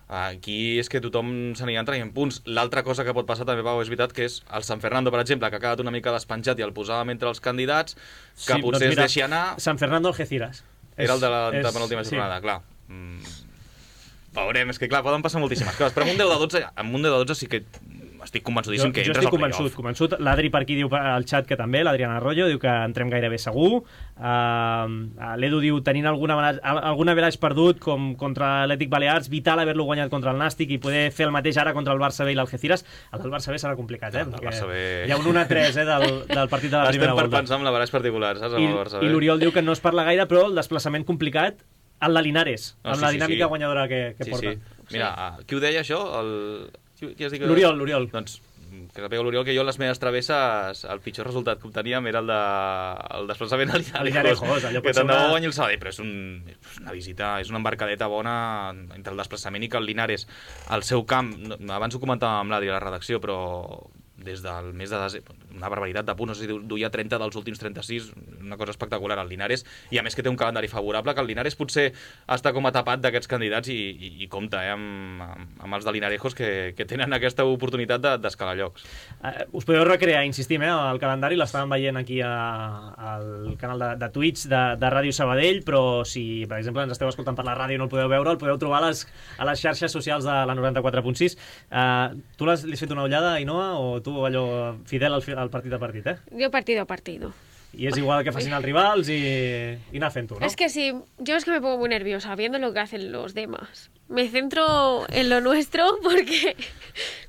Aquí és que tothom se n'hi entra i en punts. L'altra cosa que pot passar també, Pau, és veritat, que és el San Fernando, per exemple, que ha quedat una mica despenjat i el posàvem entre els candidats, que sí, potser doncs mira, es deixi anar... San Fernando Algeciras. Era el de la, és, de penúltima jornada, sí. clar. Mm, veurem, és que clar, poden passar moltíssimes coses, però amb un deu de dotze, amb un deu de dotze sí que estic convençudíssim jo, que jo entres estic al convençut, playoff. convençut. L'Adri per aquí diu al xat que també, l'Adriana Arroyo diu que entrem gairebé segur. Uh, L'Edu diu, tenint alguna, alguna velaix perdut com contra l'Atlètic Balears, vital haver-lo guanyat contra el Nàstic i poder fer el mateix ara contra el Barça B i l'Algeciras. El del Barça B serà complicat, eh? El del Barça B... Hi ha un un a tres eh, del, del partit de la Estem primera per volta. pensar en la velaix particular, saps? Amb I, el Barça B. i l'Oriol diu que no es parla gaire, però el desplaçament complicat en la Linares, No, amb sí, la sí, dinàmica sí. guanyadora que, que sí, porta. Sí. Mira, sí. Qui ho deia això? El... Qui, qui has dit que... L'Oriol, l'Oriol. Doncs que sàpiga l'Oriol que jo les meves travesses el pitjor resultat que obteníem era el, de, el desplaçament a Linarejos, allò que pot ser tant de una... bo guanyi el Sabadell, però és, un, és una visita, és una embarcadeta bona entre el desplaçament i que el Linares, al seu camp, abans ho comentàvem amb l'Adri a la redacció, però des del mes de desembre, una barbaritat de punts, no sé si duia trenta dels últims trenta-sis, una cosa espectacular al Linares, i a més que té un calendari favorable, que el Linares potser està com a tapat d'aquests candidats i, i, i compta eh, amb, amb els de Linarejos que, que tenen aquesta oportunitat d'escalar de, llocs. Uh, us podeu recrear, insistim, eh, el calendari l'estàvem veient aquí a, al canal de, de Twitch de, de Ràdio Sabadell, però si, per exemple, ens esteu escoltant per la ràdio i no el podeu veure, el podeu trobar a les, a les xarxes socials de la noranta-quatre punt sis. Uh, tu l'has fet una ullada, Ainhoa, o tu allò fidel al, al partit a partit, eh? Yo partido a partido. Y es igual que facin els rivals y, y anar fent-ho, ¿no? Es que sí, yo es que me pongo muy nerviosa viendo lo que hacen los demás. Me centro en lo nuestro porque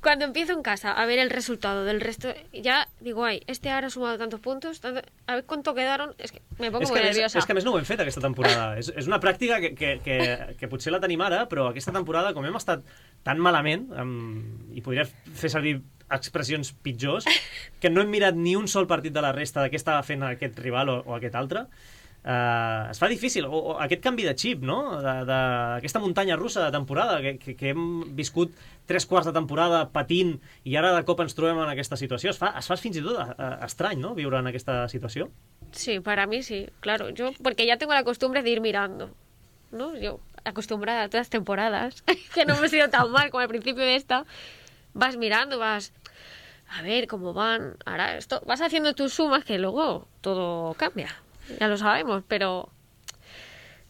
cuando empiezo en casa a ver el resultado del resto, ya digo, ay, este ahora ha sumado tantos puntos, tanto, a ver cuánto quedaron, es que me pongo és muy que nerviosa. És, és que a més no ho hem fet aquesta temporada. és, és una pràctica que, que, que, que potser la tenim ara, però aquesta temporada, com hem estat tan malament, um, i podria fer servir expressions pitjors, que no hem mirat ni un sol partit de la resta de què estava fent aquest rival o, o aquest altre, uh, es fa difícil. O, o aquest canvi de xip, no? D'aquesta muntanya russa de temporada, que, que, que hem viscut tres quarts de temporada patint i ara de cop ens trobem en aquesta situació. Es fa, es fa fins i tot uh, estrany, ¿no?, viure en aquesta situació. Sí, para mí sí, claro. Yo, porque ya tengo la costumbre de ir mirando, ¿no? Yo, acostumbrada a todas las temporadas, que no me he sido tan mal como al principio de esta, vas mirando, vas a ver cómo van, ahora esto, vas haciendo tus sumas que luego todo cambia, ya lo sabemos, pero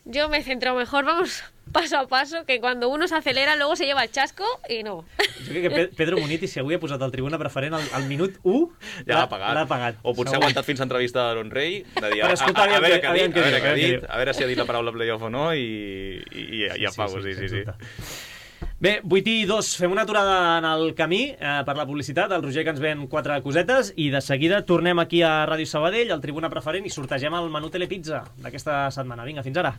yo me centro mejor, vamos paso a paso, que cuando uno se acelera luego se lleva el chasco i no. Jo crec que Pedro Muniti, si avui ha posat el tribuna preferent al, al minut u, ja l'ha pagat. pagat. O potser ha aguantat fins a entrevista d'Aaron Rey, de dir, a, a, escolta, a, a, veure què ha aviam dit, a veure què ha diu, dit, a veure si ha dit la paraula playoff o no, i, i, i, i apago, sí, sí, sí. sí. Bé, vuit i dos, fem una aturada en el camí eh, per la publicitat, el Roger que ens ven quatre cosetes i de seguida tornem aquí a Ràdio Sabadell, al Tribuna Preferent, i sortegem el menú Telepizza d'aquesta setmana. Vinga, fins ara.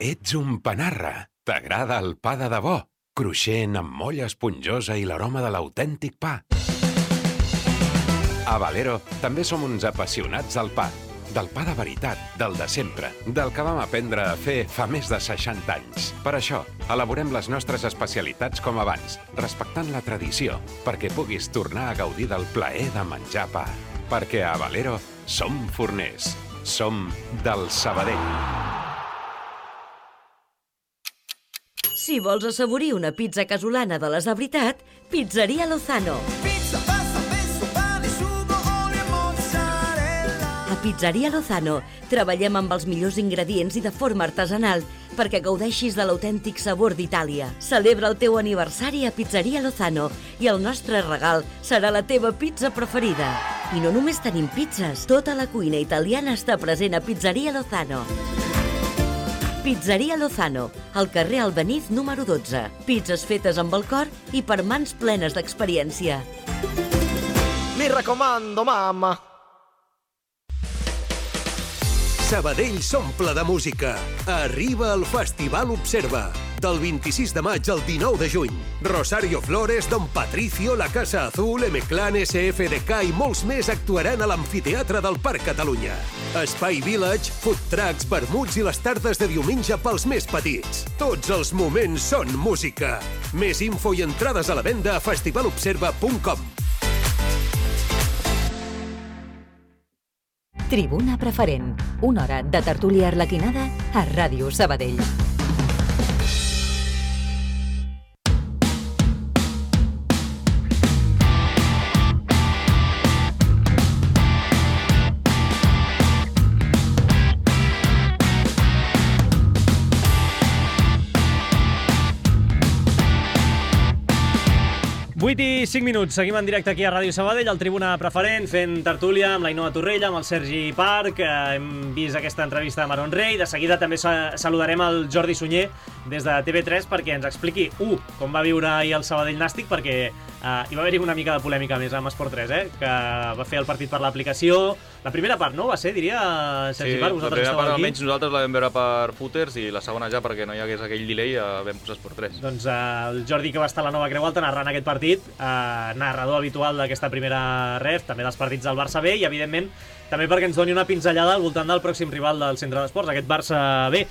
Ets un panarra. T'agrada el pa de debò, cruixent amb molla esponjosa i l'aroma de l'autèntic pa. A Valero també som uns apassionats del pa. Del pa de veritat, del de sempre, del que vam aprendre a fer fa més de seixanta anys. Per això, elaborem les nostres especialitats com abans, respectant la tradició, perquè puguis tornar a gaudir del plaer de menjar pa. Perquè a Valero som forners. Som del Sabadell. Si vols assaborir una pizza casolana de les de veritat, Pizzeria Lozano. Pizza, pasta, pesto, pane, sugo, olio e mozzarella. A Pizzeria Lozano treballem amb els millors ingredients i de forma artesanal perquè gaudeixis de l'autèntic sabor d'Itàlia. Celebra el teu aniversari a Pizzeria Lozano i el nostre regal serà la teva pizza preferida. I no només tenim pizzas, tota la cuina italiana està present a Pizzeria Lozano. Pizzeria Lozano, al carrer Albeniz número dotze. Pizzas fetes amb el cor i per mans plenes d'experiència. Mi raccomando, mamma. Sabadell s'omple de música. Arriba el Festival Observa. Del vint-i-sis de maig al dinou de juny. Rosario Flores, Don Patricio, La Casa Azul, M-Clan, S F D K i molts més actuaran a l'Amfiteatre del Parc Catalunya. Espai Village, food trucks, vermuts i les tardes de diumenge pels més petits. Tots els moments són música. Més info i entrades a la venda a festivalobserva punt com. Tribuna Preferent. Una hora de tertúlia arlequinada a Ràdio Sabadell. vuit i cinc minuts, seguim en directe aquí a Ràdio Sabadell, al Tribuna Preferent, fent tertúlia amb l'Ainoa Torrella, amb el Sergi Parc. Hem vist aquesta entrevista de Maron Rey. De seguida també saludarem el Jordi Sunyer des de T V tres perquè ens expliqui, u, com va viure ahir el Sabadell Nàstic, perquè uh, hi va haver-hi una mica de polèmica més amb Esport tres, eh? Que va fer el partit per l'aplicació. La primera part, no? Va ser, diria, Sergi sí, Parc, vosaltres estàveu aquí. Part, almenys nosaltres la vam veure per footers i la segona ja perquè no hi hagués aquell delay vam posar Esport tres. Doncs uh, el Jordi, que va estar a la Nova Creu Alta narrant aquest partit, uh, narrador habitual d'aquesta primera ref, també dels partits del Barça B, i evidentment també perquè ens doni una pinzellada al voltant del pròxim rival del Centre d'Esports, aquest Barça B.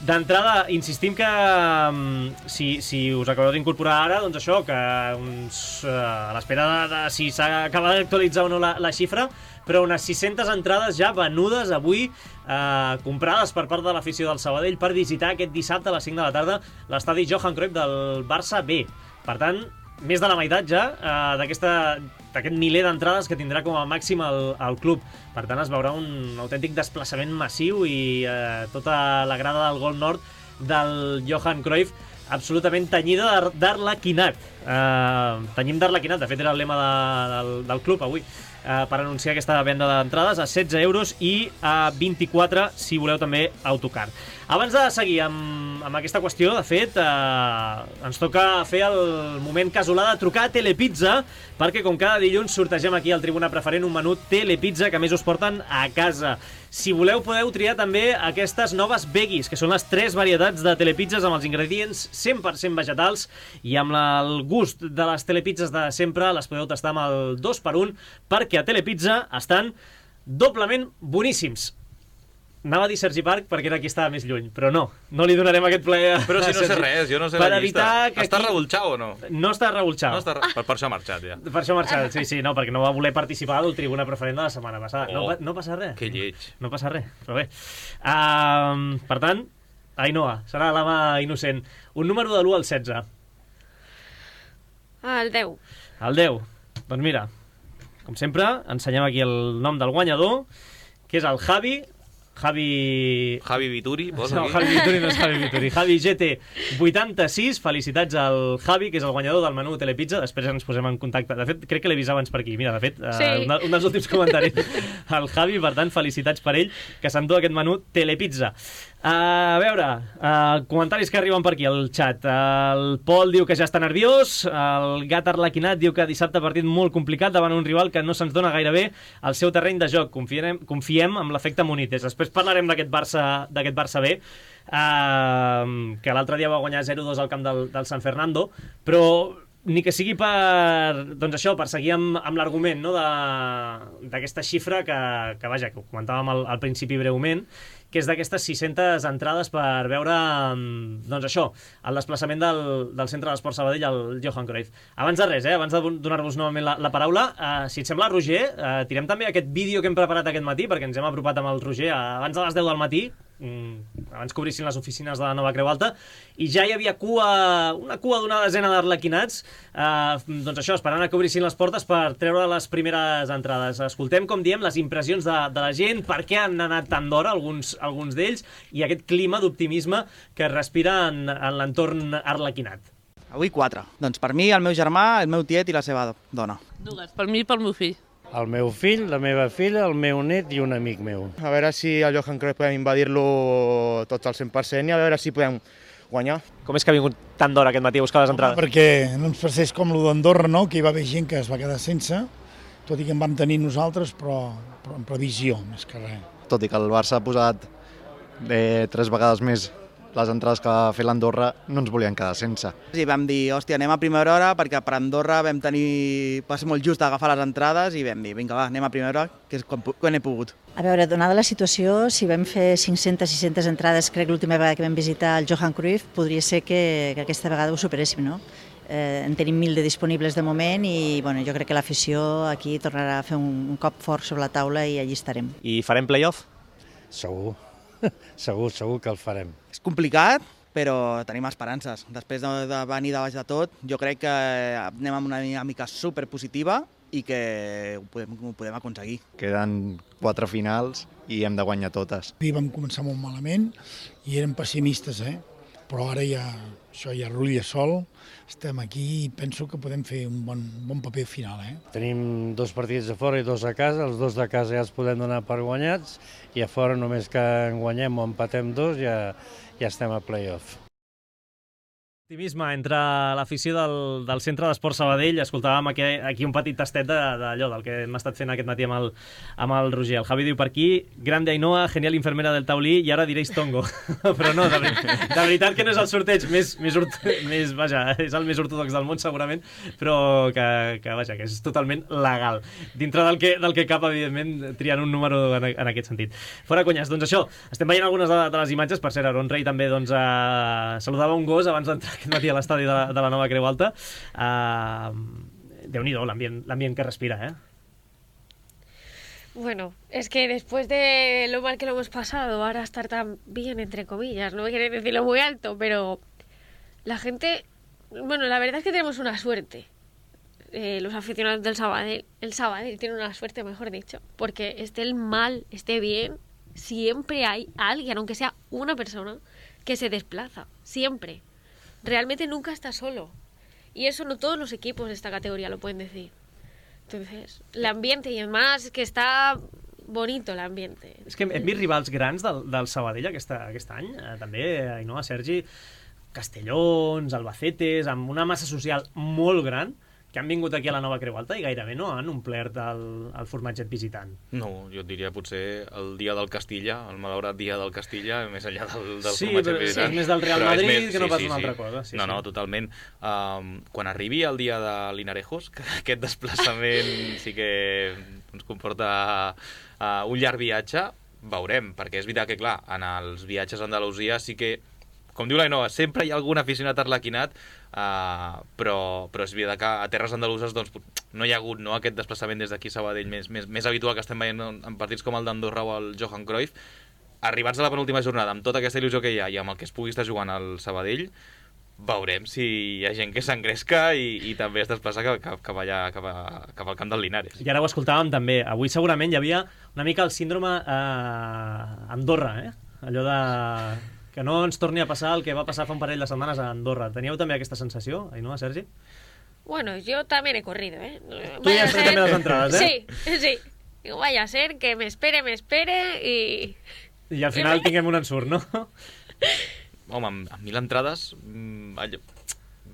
D'entrada, insistim que um, si, si us acabeu d'incorporar ara, doncs això, que uns, uh, a l'espera de, de si s'acaba d'actualitzar o no la, la xifra, però unes sis-centes entrades ja venudes avui, eh, comprades per part de l'afició del Sabadell per visitar aquest dissabte a les cinc de la tarda l'estadi Johan Cruyff del Barça B. Per tant, més de la meitat ja eh, d'aquest miler d'entrades que tindrà com a màxim el, el club. Per tant, es veurà un autèntic desplaçament massiu i eh, tota la grada del Gol Nord del Johan Cruyff absolutament tenyida d'arlequinat. Eh, tenyim d'arlequinat, de fet era el lema de, del, del club avui, eh, per anunciar aquesta venda d'entrades a setze euros i a vint-i-quatre si voleu també autocar. Abans de seguir amb, amb aquesta qüestió, de fet, eh, ens toca fer el moment casolà de trucar a Telepizza, perquè com cada dilluns sortegem aquí al Tribuna Preferent un menú Telepizza que a més us porten a casa. Si voleu podeu triar també aquestes noves veggies, que són les tres varietats de telepizzas amb els ingredients cent per cent vegetals i amb la, el gust de les telepizzas de sempre. Les podeu tastar amb el dos per un, perquè a Telepizza estan doblement boníssims. Anava a dir Sergi Parc perquè era qui estava més lluny, però no, no li donarem aquest plaer a Però si no sé res, jo no sé la llista. Està revolxau o no? No està revolxau. No està re... per, per això ha marxat, ja. Per això ha marxat, sí, sí, no, perquè no va voler participar del Tribuna Preferent de la setmana passada. Oh, no, no passa res. Que lleig. No passa res, però bé. Uh, per tant, Ainoa, serà la mà innocent. Un número de l'u al setze. El deu. El deu. Doncs mira, com sempre, ensenyem aquí el nom del guanyador, que és el Javi... Javi... Javi Vituri, posa no, aquí. Javi Vituri no és Javi Vituri. Javi G T vuitanta-sis, felicitats al Javi, que és el guanyador del menú Telepizza. Després ens posem en contacte. De fet, crec que l'he vist abans per aquí. Mira, de fet, sí. uh, un, un dels últims comentaris. El Javi, per tant, felicitats per ell, que s'endú aquest menú Telepizza. Uh, a veure, uh, comentaris que arriben per aquí al xat. Uh, el Pol diu que ja està nerviós. El Gat Arlequinat diu que dissabte partit molt complicat davant un rival que no se'ns dona gaire bé al seu terreny de joc. Confiem, confiem en l'efecte Munites. Després parlarem d'aquest Barça, d'aquest Barça B, uh, que l'altre dia va guanyar zero dos al camp del, del San Fernando, però ni que sigui per, doncs això, per seguir amb, amb l'argument, no, d'aquesta xifra que, que, vaja, que ho comentàvem al, al principi breument, que és d'aquestes sis-centes entrades per veure, doncs això, el desplaçament del, del Centre d'Esport Sabadell al Johan Cruyff. Abans de res, eh, abans de donar-vos novament la, la paraula, eh, si et sembla, Roger, eh, tirem també aquest vídeo que hem preparat aquest matí, perquè ens hem apropat amb el Roger abans de les deu del matí, mm, abans que obrissin les oficines de la Nova Creu Alta, i ja hi havia cua, una cua d'una desena d'arlequinats, eh, doncs això, esperant a que obrissin les portes per treure les primeres entrades. Escoltem, com diem, les impressions de, de la gent, per què han anat tan d'hora alguns, alguns d'ells, i aquest clima d'optimisme que es respira en, en l'entorn arlequinat. Avui quatre. Doncs per mi, el meu germà, el meu tiet i la seva dona. Dues, per mi i pel meu fill. El meu fill, la meva filla, el meu net i un amic meu. A veure si el Johan Cruyff podem invadir-lo tots al cent per cent i a veure si podem guanyar. Com és que ha vingut tant d'hora aquest matí a buscar les entrades? Perquè no ens passés com lo d'Andorra, no? Que hi va haver gent que es va quedar sense, tot i que en vam tenir nosaltres, però, però en previsió, més que res. Tot i que el Barça ha posat eh, tres vegades més les entrades que va fer l'Andorra, no ens volien quedar sense. I vam dir, hòstia, anem a primera hora, perquè per Andorra vam tenir... va ser molt just agafar les entrades i vam dir, vinga, va, anem a primera hora, que és quan, quan he pogut. A veure, donada la situació, si vam fer cinc-centes sis-centes entrades, crec l'última vegada que vam visitar el Johan Cruyff, podria ser que, que aquesta vegada ho superéssim, no? Eh, en tenim mil de disponibles de moment i bueno, jo crec que l'afició aquí tornarà a fer un, un cop fort sobre la taula i allí estarem. I farem play-off? Segur, segur, segur que el farem. És complicat, però tenim esperances. Després de, de venir de baix de tot, jo crec que anem amb una dinàmica superpositiva i que ho podem, ho podem aconseguir. Queden quatre finals i hem de guanyar totes. I vam començar molt malament i érem pessimistes, eh? Però ara ja, això ja rulla sol, estem aquí i penso que podem fer un bon, bon paper final. Eh? Tenim dos partits a fora i dos a casa, els dos de casa ja els podem donar per guanyats i a fora només que en guanyem o empatem dos ja, ja estem a play-off. Optimisme entre l'afició del, del Centre d'Esport Sabadell. Escoltàvem aquí, aquí un petit tastet d'allò del que hem estat fent aquest matí amb el, amb el Roger. El Javi diu per aquí, grande Ainhoa, genial infermera del taulí i ara diréis tongo. Però no, de, de veritat que no és el sorteig més, més, més, vaja, és el més ortodox del món segurament, però que, que, vaja, que és totalment legal. Dintre del que, del que cap, evidentment, triant un número en, en aquest sentit. Fora conyes, doncs això, estem veient algunes de, de les imatges. Per cert, Aaron Rey també doncs, eh, saludava un gos abans d'entrar aquest matí a l'estadi de, de la Nova Creu Alta. Uh, Déu-n'hi-do l'ambient que respira, ¿eh? Bueno, es que después de lo mal que lo hemos pasado, ahora estar tan bien, entre comillas, no me quieren decirlo muy alto, pero la gente... Bueno, la verdad es que tenemos una suerte. Eh, los aficionados del Sabadell, el Sabadell tiene una suerte, mejor dicho, porque esté el mal, esté bien, siempre hay alguien, aunque sea una persona, que se desplaza, siempre. Realmente nunca está solo. Y eso no todos los equipos de esta categoría lo pueden decir. Entonces, el ambiente, y además que está bonito el ambiente. És que hem vist rivals grans del, del Sabadell aquest, aquest any, eh, també, Ainhoa, Sergi, Castellons, Albacetes, amb una massa social molt gran, que han vingut aquí a la Nova Creu Alta i gairebé no han omplert el, el formatget visitant. No, jo et diria potser el dia del Castilla, el malaurat dia del Castilla, més enllà del, del sí, formatget visitant. Sí, és més del Real però Madrid més, que no sí, pas sí, una sí. altra cosa. Sí, no, sí. no, totalment. Um, quan arribi el dia de Linarejos, que aquest desplaçament sí que ens comporta uh, un llarg viatge, veurem, perquè és veritat que, clar, en els viatges a Andalusia sí que, com diu l'Ainhoa, sempre hi ha algun aficionat arlequinat, uh, però, però és veritat que a terres andaluses doncs, no hi ha hagut no, aquest desplaçament des d'aquí a Sabadell més, més, més habitual que estem veient en, en partits com el d'Andorra o el Johan Cruyff. Arribats a la penúltima jornada, amb tota aquesta il·lusió que hi ha i amb el que es pugui estar jugant al Sabadell, veurem si hi ha gent que s'engresca i, i també es desplaça cap, cap, cap, allà, cap, a, cap al camp del Linares. I ara ho escoltàvem també. Avui segurament hi havia una mica el síndrome eh, Andorra, eh? Allò de... que no ens torni a passar el que va passar fa un parell de setmanes a Andorra. Teníeu també aquesta sensació, Ainhoa, Sergi? Bueno, yo también he corrido, ¿eh? Tú ya has traído también las entradas, ¿eh? Sí, sí. Digo, vaya a ser que me espere, me espere y... I al final tinguem un ensurt, no? Home, amb, amb mil entrades... Mmm, allò,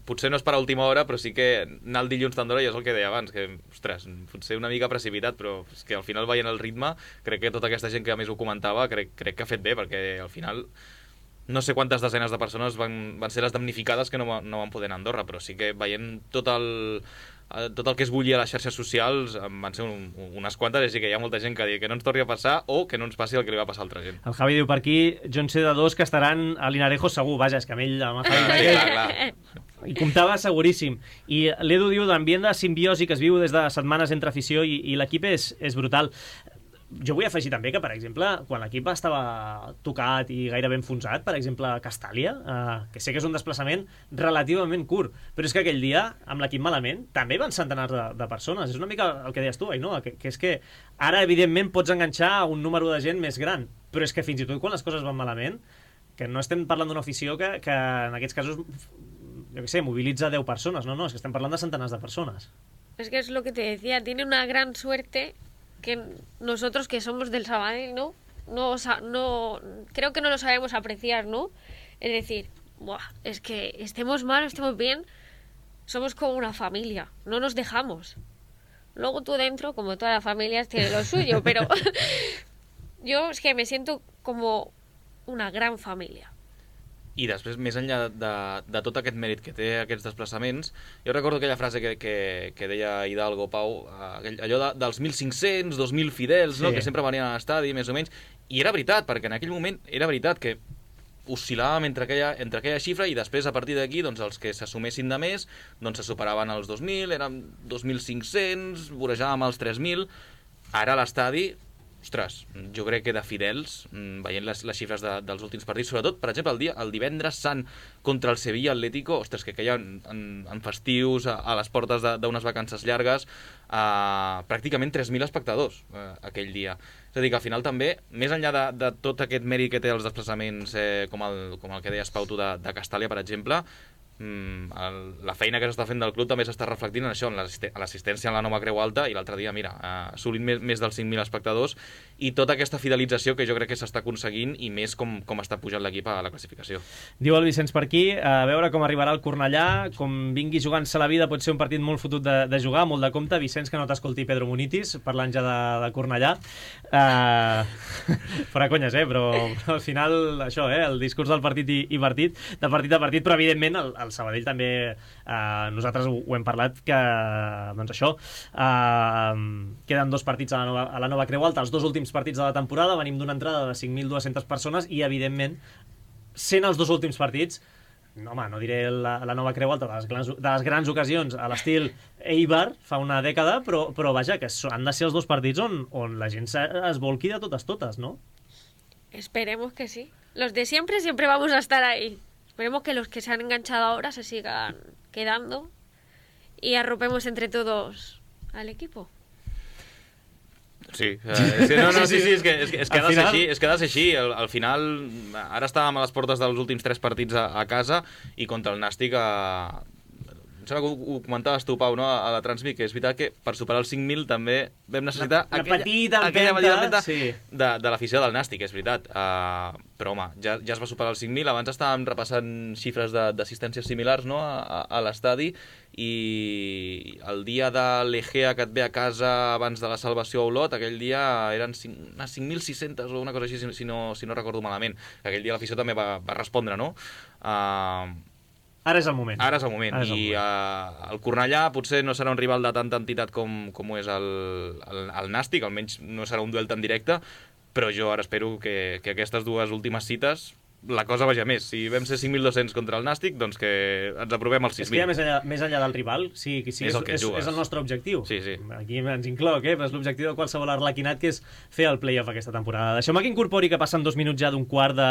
potser no és per a última hora, però sí que anar el dilluns d'Andorra ja és el que deia abans, que, ostres, potser una mica precipitat, però és que al final veient el ritme, crec que tota aquesta gent que a més ho comentava, crec, crec que ha fet bé, perquè al final... No sé quantes desenes de persones van, van ser les damnificades que no, no van poder anar a Andorra, però sí que veient tot el, tot el que es bullia a les xarxes socials van ser un, unes quantes, així que hi ha molta gent que diu que no ens torni a passar o que no ens passi el que li va passar a altra gent. El Javi diu per aquí, jo en sé de dos que estaran a Linarejo segur, vaja, és que amb ell, amb el Javi, ah, sí, clar, clar. I comptava seguríssim. I l'Edu diu d'ambient de simbiosi que es viu des de setmanes entre afició i, i l'equip és, és brutal. Jo vull afegir també que, per exemple, quan l'equip estava tocat i gairebé enfonsat, per exemple, a Castàlia, eh, que sé que és un desplaçament relativament curt, però és que aquell dia, amb l'equip malament, també van centenars de, de persones. És una mica el que deies tu, Ainhoa, que, que és que ara, evidentment, pots enganxar un número de gent més gran, però és que fins i tot quan les coses van malament, que no estem parlant d'una afició que, que en aquests casos, jo què sé, mobilitza deu persones, no, no, és que estem parlant de centenars de persones. Es que es lo que te decía, tiene una gran suerte que nosotros que somos del Sabadell, ¿no? No, no, creo que no lo sabemos apreciar, ¿no? Es decir, buah, es que estemos mal o estemos bien, somos como una familia, no nos dejamos. Luego tú dentro, como todas las familias, tiene lo suyo, pero yo es que me siento como una gran família. I després, més enllà de, de tot aquest mèrit que té aquests desplaçaments, jo recordo aquella frase que, que, que deia Hidalgo, Pau, aquell, allò de, dels mil cinc-cents, dos mil fidels, sí. no? Que sempre venien a l'estadi, més o menys, i era veritat, perquè en aquell moment era veritat que oscil·làvem entre aquella, entre aquella xifra i després, a partir d'aquí, doncs, els que s'assumessin de més doncs se superaven els dos mil, eren dos mil cinc-cents, vorejàvem els tres mil. Ara l'estadi, ostres, jo crec que de fidels, veient les, les xifres de, dels últims partits, sobretot, per exemple, el, dia, el divendres sant contra el Sevilla Atlético, ostres, que queia en, en, en festius, a, a les portes d'unes vacances llargues, a pràcticament tres mil espectadors eh, aquell dia. És a dir, que al final també, més enllà de, de tot aquest mèrit que té els desplaçaments, eh, com, el, com el que deies, Pau, tu, de, de Castàlia, per exemple, el, la feina que s'està fent del club també s'està reflectint en això, en l'assistència en la nova Creu Alta, i l'altre dia, mira, assolint més, més dels cinc mil espectadors, i tota aquesta fidelització que jo crec que s'està aconseguint, i més com, com està pujant l'equip a la classificació. Diu el Vicenç per aquí, a veure com arribarà el Cornellà, com vingui jugant-se la vida, pot ser un partit molt fotut de, de jugar, molt de compte. Vicenç, que no t'escolti Pedro Munitis, parlant ja de, de Cornellà. Uh, fora conyes, eh? Però, però al final, això, eh? El discurs del partit i, i partit, de partit a partit, però evidentment el, el Sabadell també, eh, nosaltres ho, ho hem parlat, que doncs això, eh, queden dos partits a la, nova, a la nova Creu Alta, els dos últims partits de la temporada, venim d'una entrada de cinc mil dues-centes persones i evidentment, sent els dos últims partits, no, home, no diré la, la nova Creu Alta de les grans, de les grans ocasions a l'estil Eibar fa una dècada, però, però vaja, que han de ser els dos partits on, on la gent es volqui de totes totes, no? Esperemos que sí. Los de siempre siempre vamos a estar ahí. Esperemos que los que se han enganchado ahora se sigan quedando y arropemos entre todos al equipo. Sí, eh, sí, no, no, sí, sí, és que, és que, és que ha de ser així, és que ha de ser així. Al, al final, ara estàvem a les portes dels últims tres partits a, a casa i contra el Nàstic a... Em sembla que ho, ho comentaves tu, Pau, no? A la Transmi, que és veritat que per superar els cinc mil també vam necessitar la, la aquella, petita aquella empenta, empenta sí. de, de l'afició del Nàstic, és veritat. Uh, però, home, ja, ja es va superar els cinc mil. Abans estàvem repassant xifres d'assistències similars, no? a, a, a l'estadi, i el dia de l'Egea que et ve a casa abans de la salvació a Olot, aquell dia eren cinc mil sis-centes o una cosa així, si, si, no, si no recordo malament. Aquell dia l'afició també va, va respondre, no? Uh, Ara és el moment. Ara és el moment. És el I uh, el Cornellà potser no serà un rival de tanta entitat com, com ho és el, el, el Nàstic, almenys no serà un duel tan directe, però jo ara espero que, que aquestes dues últimes cites la cosa vaja més. Si vam ser cinc mil dos-cents contra el Nàstic, doncs que ens aprovem als sis mil. És que ja més enllà, més enllà del rival, sí, sí, és, és, és, és el nostre objectiu. Sí, sí. Aquí ens incloc, eh? Però és l'objectiu de qualsevol arlequinat, que és fer el play-off aquesta temporada. Deixeu-me que incorpori, que passen dos minuts ja d'un quart de,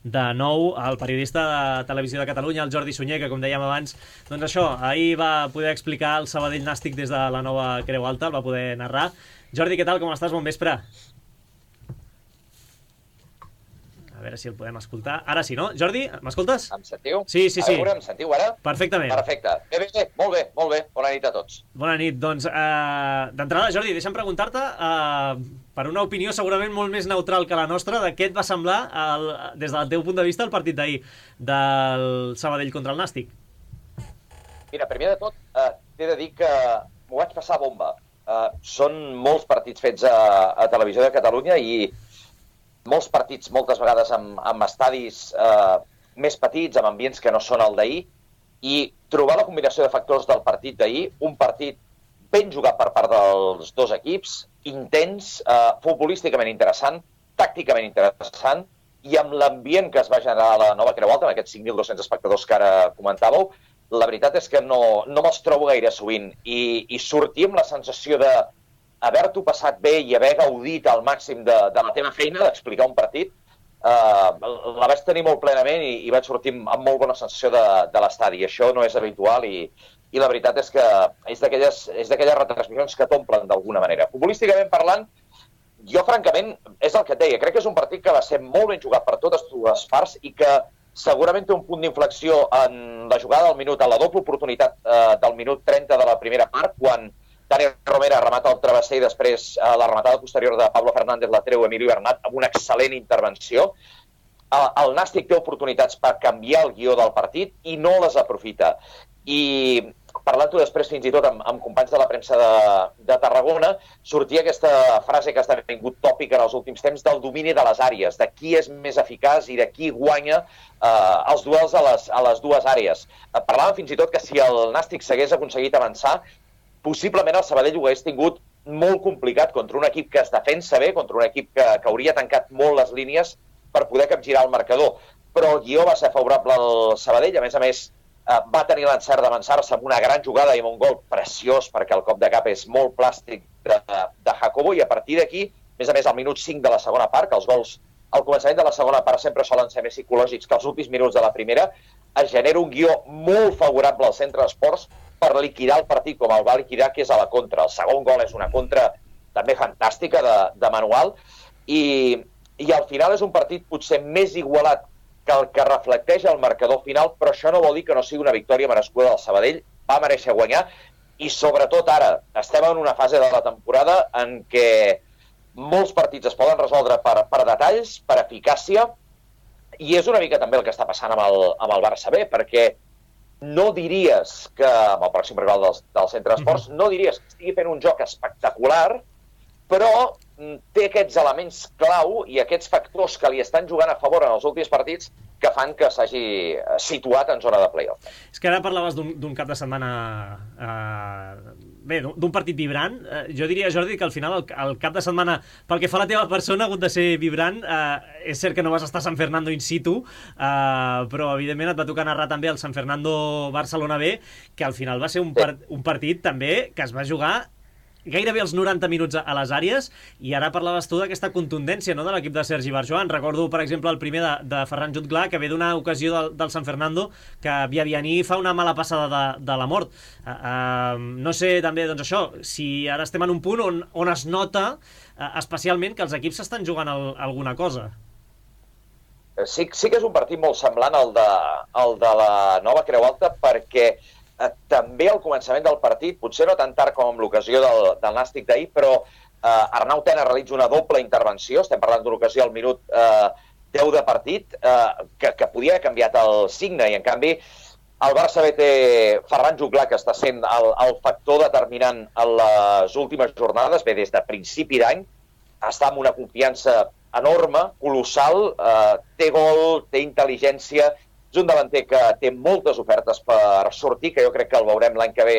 de nou, el periodista de Televisió de Catalunya, el Jordi Sunyer, que com dèiem abans, doncs això, ahir va poder explicar el Sabadell Nàstic des de la nova Creu Alta, el va poder narrar. Jordi, què tal, com estàs? Bon vespre. A veure si el podem escoltar. Ara sí, no? Jordi, m'escoltes? Em sentiu? Sí, sí, sí. A veure, em sentiu ara? Perfectament. Perfecte. Bé, bé, bé, molt bé, molt bé. Bona nit a tots. Bona nit. Doncs, eh, d'entrada, Jordi, deixa'm preguntar-te, eh, per una opinió segurament molt més neutral que la nostra, de què et va semblar, el, des del teu punt de vista, el partit d'ahir del Sabadell contra el Nàstic? Mira, primer de tot, eh, t'he de dir que m'ho vaig passar bomba. Eh, són molts partits fets a, a Televisió de Catalunya i molts partits, moltes vegades, amb, amb estadis eh, més petits, amb ambients que no són el d'ahir, i trobar la combinació de factors del partit d'ahir, un partit ben jugat per part dels dos equips, intens, eh, futbolísticament interessant, tàcticament interessant, i amb l'ambient que es va generar a la nova Creu Alta, amb aquests cinc mil dos-cents espectadors que ara comentàveu, la veritat és que no, no me'ls trobo gaire sovint, i, i sortir amb la sensació de haver-t'ho passat bé i haver gaudit al màxim de, de la teva feina, d'explicar un partit, eh, la vaig tenir molt plenament i, i vaig sortir amb molt bona sensació de, de l'estadi. Això no és habitual i, i la veritat és que és d'aquelles retransmissions que t'omplen d'alguna manera. Futbolísticament parlant, jo francament, és el que et deia, crec que és un partit que va ser molt ben jugat per totes dues parts i que segurament té un punt d'inflexió en la jugada del minut, en la doble oportunitat eh, del minut trenta de la primera part, quan Dani Romera remata el travesser i després eh, la rematada posterior de Pablo Fernández la treu Emilio Bernat amb una excel·lent intervenció. El, el Nàstic té oportunitats per canviar el guió del partit i no les aprofita. I parlant-ho després fins i tot amb, amb companys de la premsa de, de Tarragona, sortia aquesta frase que ha esdevingut tòpica en els últims temps del domini de les àrees, de qui és més eficaç i de qui guanya eh, els duels a les, a les dues àrees. Eh, parlàvem fins i tot que si el Nàstic s'hagués aconseguit avançar, possiblement el Sabadell ho hagués tingut molt complicat contra un equip que es defensa bé, contra un equip que, que hauria tancat molt les línies per poder capgirar el marcador. Però el guió va ser favorable al Sabadell, a més a més va tenir l'encert d'avançar-se amb una gran jugada i amb un gol preciós, perquè el cop de cap és molt plàstic de, de Jacobo, i a partir d'aquí, a més a més, al minut cinc de la segona part, que els gols al començament de la segona part sempre solen ser més psicològics que els últims minuts de la primera, es genera un guió molt favorable al centre d'esports per liquidar el partit com el va liquidar, que és a la contra. El segon gol és una contra també fantàstica de, de Manual, i, i al final és un partit potser més igualat que el que reflecteix el marcador final, però això no vol dir que no sigui una victòria merescuda del Sabadell, va mereixer guanyar, i sobretot ara, estem en una fase de la temporada en què molts partits es poden resoldre per, per detalls, per eficàcia, i és una mica també el que està passant amb el, amb el Barça B, perquè no diries que, amb el pròxim rival del, del centre d'esports, no diries que estigui fent un joc espectacular, però té aquests elements clau i aquests factors que li estan jugant a favor en els últims partits que fan que s'hagi situat en zona de play-off. És que ara parlaves d'un cap de setmana... Eh, bé, d'un partit vibrant. Eh, jo diria, Jordi, que al final el, el cap de setmana, pel que fa a la teva persona, ha hagut de ser vibrant. Eh, és cert que no vas estar a San Fernando in situ, eh, però evidentment et va tocar narrar també el San Fernando Barcelona B, que al final va ser un, part, un partit també que es va jugar gairebé els noranta minuts a les àrees, i ara parlaves tu d'aquesta contundència, no?, de l'equip de Sergi Barjoan. Recordo, per exemple, el primer de, de Ferran Jutglar, que ve d'una ocasió del, del San Fernando, que Biabianí fa una mala passada de, de la mort. Uh, uh, no sé, també, doncs això, si ara estem en un punt on, on es nota uh, especialment que els equips s'estan jugant el, alguna cosa. Sí, sí que és un partit molt semblant al de, al de la Nova Creu Alta, perquè també al començament del partit, potser no tan tard com amb l'ocasió del, del Nàstic d'ahir, però eh, Arnau Tena realitza una doble intervenció, estem parlant d'una ocasió al minut eh, deu de partit, eh, que, que podia haver canviat el signe, i en canvi el Barça B té Ferran Jutglar, que està sent el, el factor determinant en les últimes jornades, bé, des de principi d'any, està amb una confiança enorme, colossal, eh, té gol, té intel·ligència. És un davanter que té moltes ofertes per sortir, que jo crec que el veurem l'any que ve.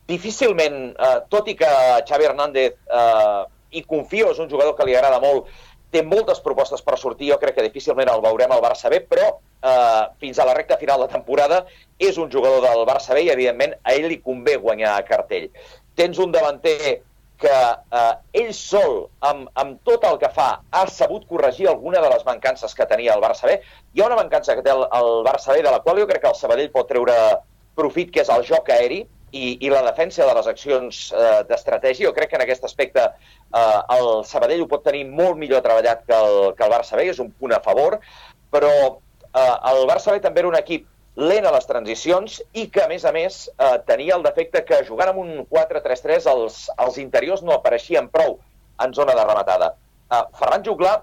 Difícilment, eh, tot i que Xavi Hernández, eh, hi confio, és un jugador que li agrada molt, té moltes propostes per sortir, jo crec que difícilment el veurem al Barça B, però eh, fins a la recta final de temporada és un jugador del Barça B i, evidentment, a ell li convé guanyar a cartell. Tens un davanter que eh, ell sol, amb, amb tot el que fa, ha sabut corregir alguna de les mancances que tenia el Barça B. Hi ha una mancança que té el, el Barça B, de la qual jo crec que el Sabadell pot treure profit, que és el joc aeri i, i la defensa de les accions eh, d'estratègia. Jo crec que en aquest aspecte eh, el Sabadell ho pot tenir molt millor treballat que el, que el Barça B, és un punt a favor, però eh, el Barça B també era un equip lent a les transicions i que, a més a més, eh, tenia el defecte que jugant amb un quatre tres tres els, els interiors no apareixien prou en zona de rematada. Eh, Ferran Jutglar,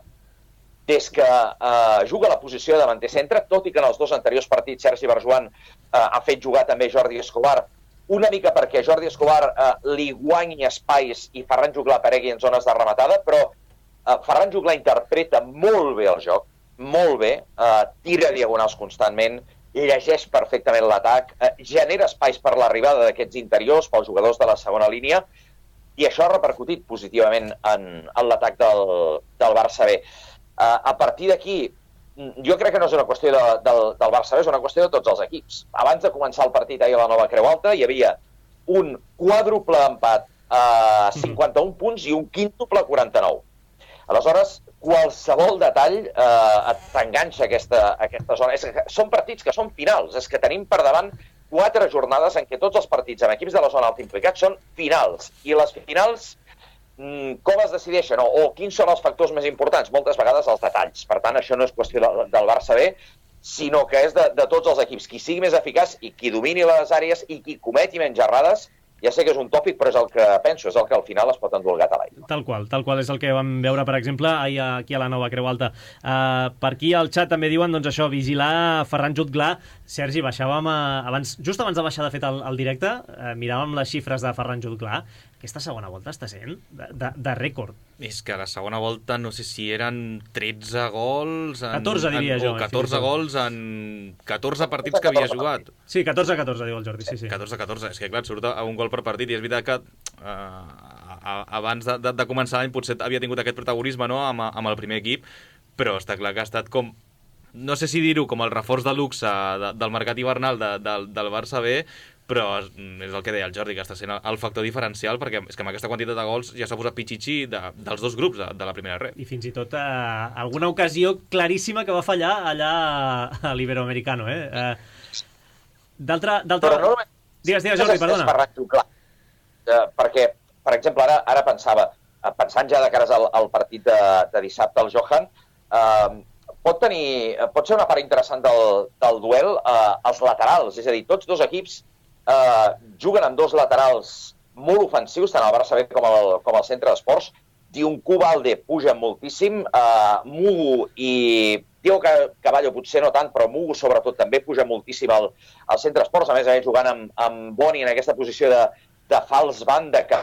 des que eh, juga a la posició de davanter centre, tot i que en els dos anteriors partits Sergi Barjoan eh, ha fet jugar també Jordi Escobar, una mica perquè Jordi Escobar eh, li guanyi espais i Ferran Jutglar aparegui en zones de rematada, però eh, Ferran Jutglar interpreta molt bé el joc, molt bé, eh, tira diagonals constantment, llegeix perfectament l'atac, eh, genera espais per l'arribada d'aquests interiors, pels jugadors de la segona línia, i això ha repercutit positivament en, en l'atac del, del Barça B. Eh, a partir d'aquí, jo crec que no és una qüestió de, del, del Barça B, és una qüestió de tots els equips. Abans de començar el partit ahir a la Nova Creu Alta, hi havia un quàdruple empat a cinquanta-un punts i un quíntuple a quaranta-nou. Aleshores, qualsevol detall eh, t'enganxa aquesta, aquesta zona. És que són partits que són finals, és que tenim per davant quatre jornades en què tots els partits amb equips de la zona alta implicats són finals. I les finals, mm, com es decideixen? O, o quins són els factors més importants? Moltes vegades els detalls. Per tant, això no és qüestió del, del Barça B, sinó que és de, de tots els equips. Qui sigui més eficaç i qui domini les àrees i qui cometi menys errades, ja sé que és un tòpic, però és el que penso, és el que al final es pot endur el gat a l'aigua. Tal qual, tal qual és el que vam veure, per exemple, ahir aquí a la Nova Creu Alta. Uh, per aquí al xat també diuen, doncs això, vigilar Ferran Jutglar. Sergi, baixàvem a, abans, just abans de baixar de fet el, el directe, uh, miràvem les xifres de Ferran Jutglar. Aquesta segona volta està sent de, de, de rècord. És que a la segona volta no sé si eren tretze gols... En, catorze, diria en, jo. O catorze gols en catorze partits que havia jugat. Sí, catorze a catorze, diu el Jordi, sí, sí. catorze a catorze, és que clar, surt a un gol per partit i és veritat que uh, abans de, de, de començar l'any potser havia tingut aquest protagonisme, no?, amb, amb el primer equip, però està clar que ha estat com, no sé si dir-ho, com el reforç de luxe de, del mercat hivernal de, de, del Barça B, però és el que deia el Jordi, que està sent el factor diferencial, perquè és que amb aquesta quantitat de gols ja s'ha posat pitxitxi de, dels dos grups de, de la primera red. I fins i tot eh, alguna ocasió claríssima que va fallar allà a l'Iberoamericano, eh? eh D'altra... Però no només... Digues, digues, Jordi, perdona. És Ferran Jutglar, eh, perquè, per exemple, ara, ara pensava, pensant ja de cares al, al partit de, de dissabte, el Johan, eh, pot, tenir, pot ser una part interessant del, del duel eh, els laterals, és a dir, tots dos equips Uh, juguen amb dos laterals molt ofensius, tant el Barça B com el, com el centre d'esports. Dioncu Balde puja moltíssim, uh, Mugu i Diego Caballo potser no tant, però Mugu sobretot també puja moltíssim al, al centre d'esports, a més a més jugant amb, amb Boni en aquesta posició de, de fals banda que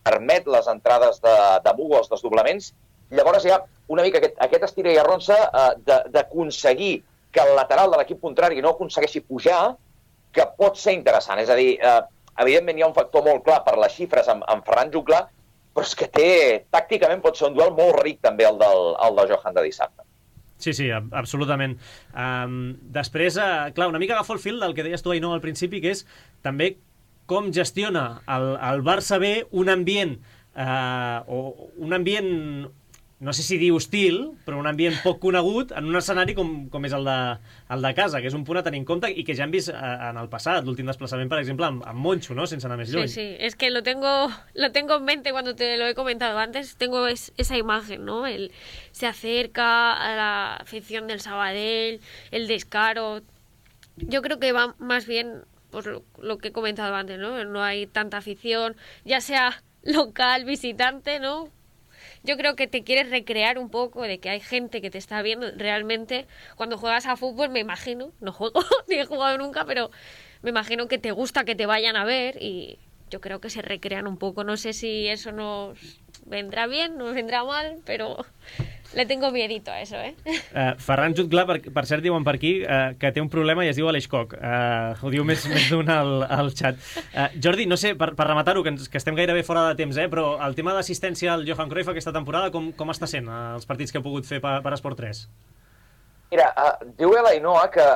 permet les entrades de, de Mugu als desdoblaments. Llavors hi ha una mica aquest, aquest estira i arronsa uh, d'aconseguir que el lateral de l'equip contrari no aconsegueixi pujar, que pot ser interessant. És a dir, eh, evidentment hi ha un factor molt clar per les xifres amb, amb Ferran Jutglar, però és que té, tàcticament pot ser un duel molt ric també el del, el del Johan de dissabte. Sí, sí, absolutament. Um, després, uh, clar, una mica agafo el fil del que deies tu, Ainhoa, al principi, que és també com gestiona el, el Barça B un ambient, uh, o un ambient, no sé si dir hostil, però un ambient poc conegut en un escenari com, com és el de, el de casa, que és un punt a tenir en compte i que ja hem vist en el passat, l'últim desplaçament, per exemple, amb, amb Moncho, ¿no?, sense anar més lluny. Sí, sí, es que lo tengo, lo tengo en mente cuando te lo he comentado antes, tengo es, esa imagen, ¿no? El, se acerca a la afición del Sabadell, el descaro. Yo creo que va más bien por lo, lo que he comentado antes, ¿no? No hay tanta afición, ya sea local, visitante, ¿no? Yo creo que te quieres recrear un poco de que hay gente que te está viendo realmente. Cuando juegas a fútbol, me imagino, no juego, ni he jugado nunca, pero me imagino que te gusta que te vayan a ver y yo creo que se recrean un poco. No sé si eso nos vendrá bien, nos vendrá mal, pero le tengo miedito a eso, eh? Uh, Ferran Jutglar, per, per cert, diuen per aquí uh, que té un problema i es diu Aleix Coc. Uh, ho diu més, més d'un al, al xat. Uh, Jordi, no sé, per, per rematar-ho, que, ens, que estem gairebé fora de temps, eh, però el tema d'assistència al Johan Cruyff aquesta temporada, com, com està sent uh, els partits que he pogut fer per, per Esport tres? Mira, uh, diu l'Ainhoa que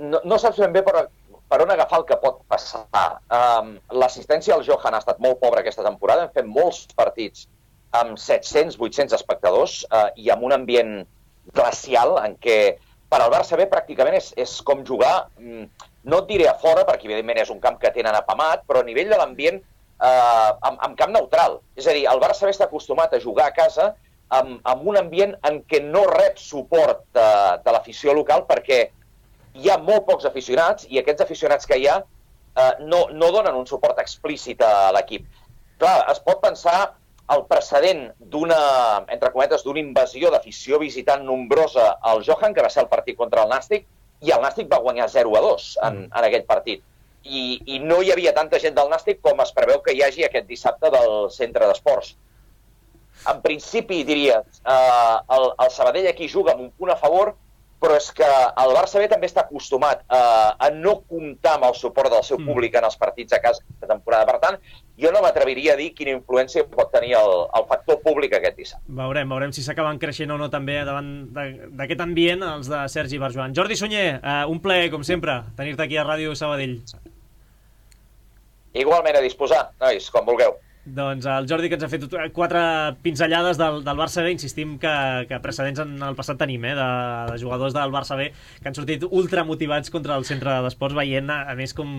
no, no saps ben bé per, per on agafar el que pot passar. Um, L'assistència al Johan ha estat molt pobra aquesta temporada, hem fet molts partits amb set-cents vuit-cents espectadors eh, i amb un ambient glacial en què per al Barça B pràcticament és, és com jugar, no et diré a fora, perquè evidentment és un camp que tenen apamat, però a nivell de l'ambient eh, amb, amb camp neutral. És a dir, el Barça B està acostumat a jugar a casa amb, amb un ambient en què no rep suport de, de l'afició local perquè hi ha molt pocs aficionats i aquests aficionats que hi ha eh, no, no donen un suport explícit a l'equip. Clar, es pot pensar el precedent d'una, entre cometes, d'una invasió d'afició visitant nombrosa al Johan, que va ser el partit contra el Nàstic, i el Nàstic va guanyar zero a dos en, en aquell partit. I, I no hi havia tanta gent del Nàstic com es preveu que hi hagi aquest dissabte del centre d'esports. En principi, diria, eh, el, el Sabadell aquí juga amb un punt a favor, però és que el Barça B també està acostumat a, a no comptar amb el suport del seu públic en els partits a casa de temporada. Per tant, jo no m'atreviria a dir quina influència pot tenir el, el factor públic aquest dissabte. Veurem, veurem si s'acaben creixent o no també davant d'aquest ambient els de Sergi Barjoan. Jordi Sunyer, uh, un plaer, com sempre, tenir-te aquí a Ràdio Sabadell. Igualment a disposar, nois, quan vulgueu. Doncs el Jordi, que ens ha fet quatre pinzellades del, del Barça B, insistim que, que precedents en el passat tenim, eh, de, de jugadors del Barça B que han sortit ultra motivats contra el centre d'esports, veient a, a més com,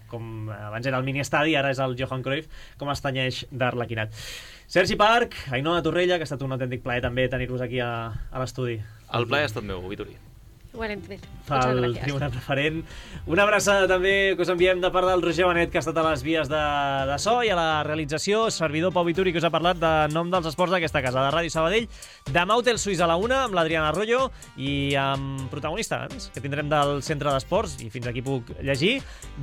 com abans era el mini-estadi, ara és el Johan Cruyff, com es tenyeix d'Arlequinat. Sergi Parc, Ainhoa Torrella, que ha estat un autèntic plaer també tenir-vos aquí a, a l'estudi. El plaer ha estat meu, Vitori. Igualment. Pel Moltes gràcies. Tribuna Preferent. Una abraçada també que us enviem de part del Roger Benet, que ha estat a les vies de, de so, i a la realització, servidor Pau Vituri, que us ha parlat de nom dels esports d'aquesta casa, de Ràdio Sabadell. Demà Hotel Suís a la una, amb l'Adriana Arroyo, i amb protagonistes, que tindrem del Centre d'Esports, i fins aquí puc llegir.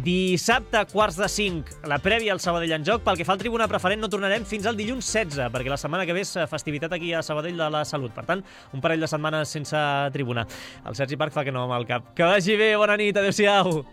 Dissabte, quarts de cinc, la prèvia al Sabadell en joc. Pel que fa al Tribuna Preferent, no tornarem fins al dilluns setze, perquè la setmana que ve és festivitat aquí a Sabadell de la Salut. Per tant, un parell de setmanes sense tribuna. El Sergi Parc fa que no amb el cap. Que vagi bé, bona nit, adeu-siau.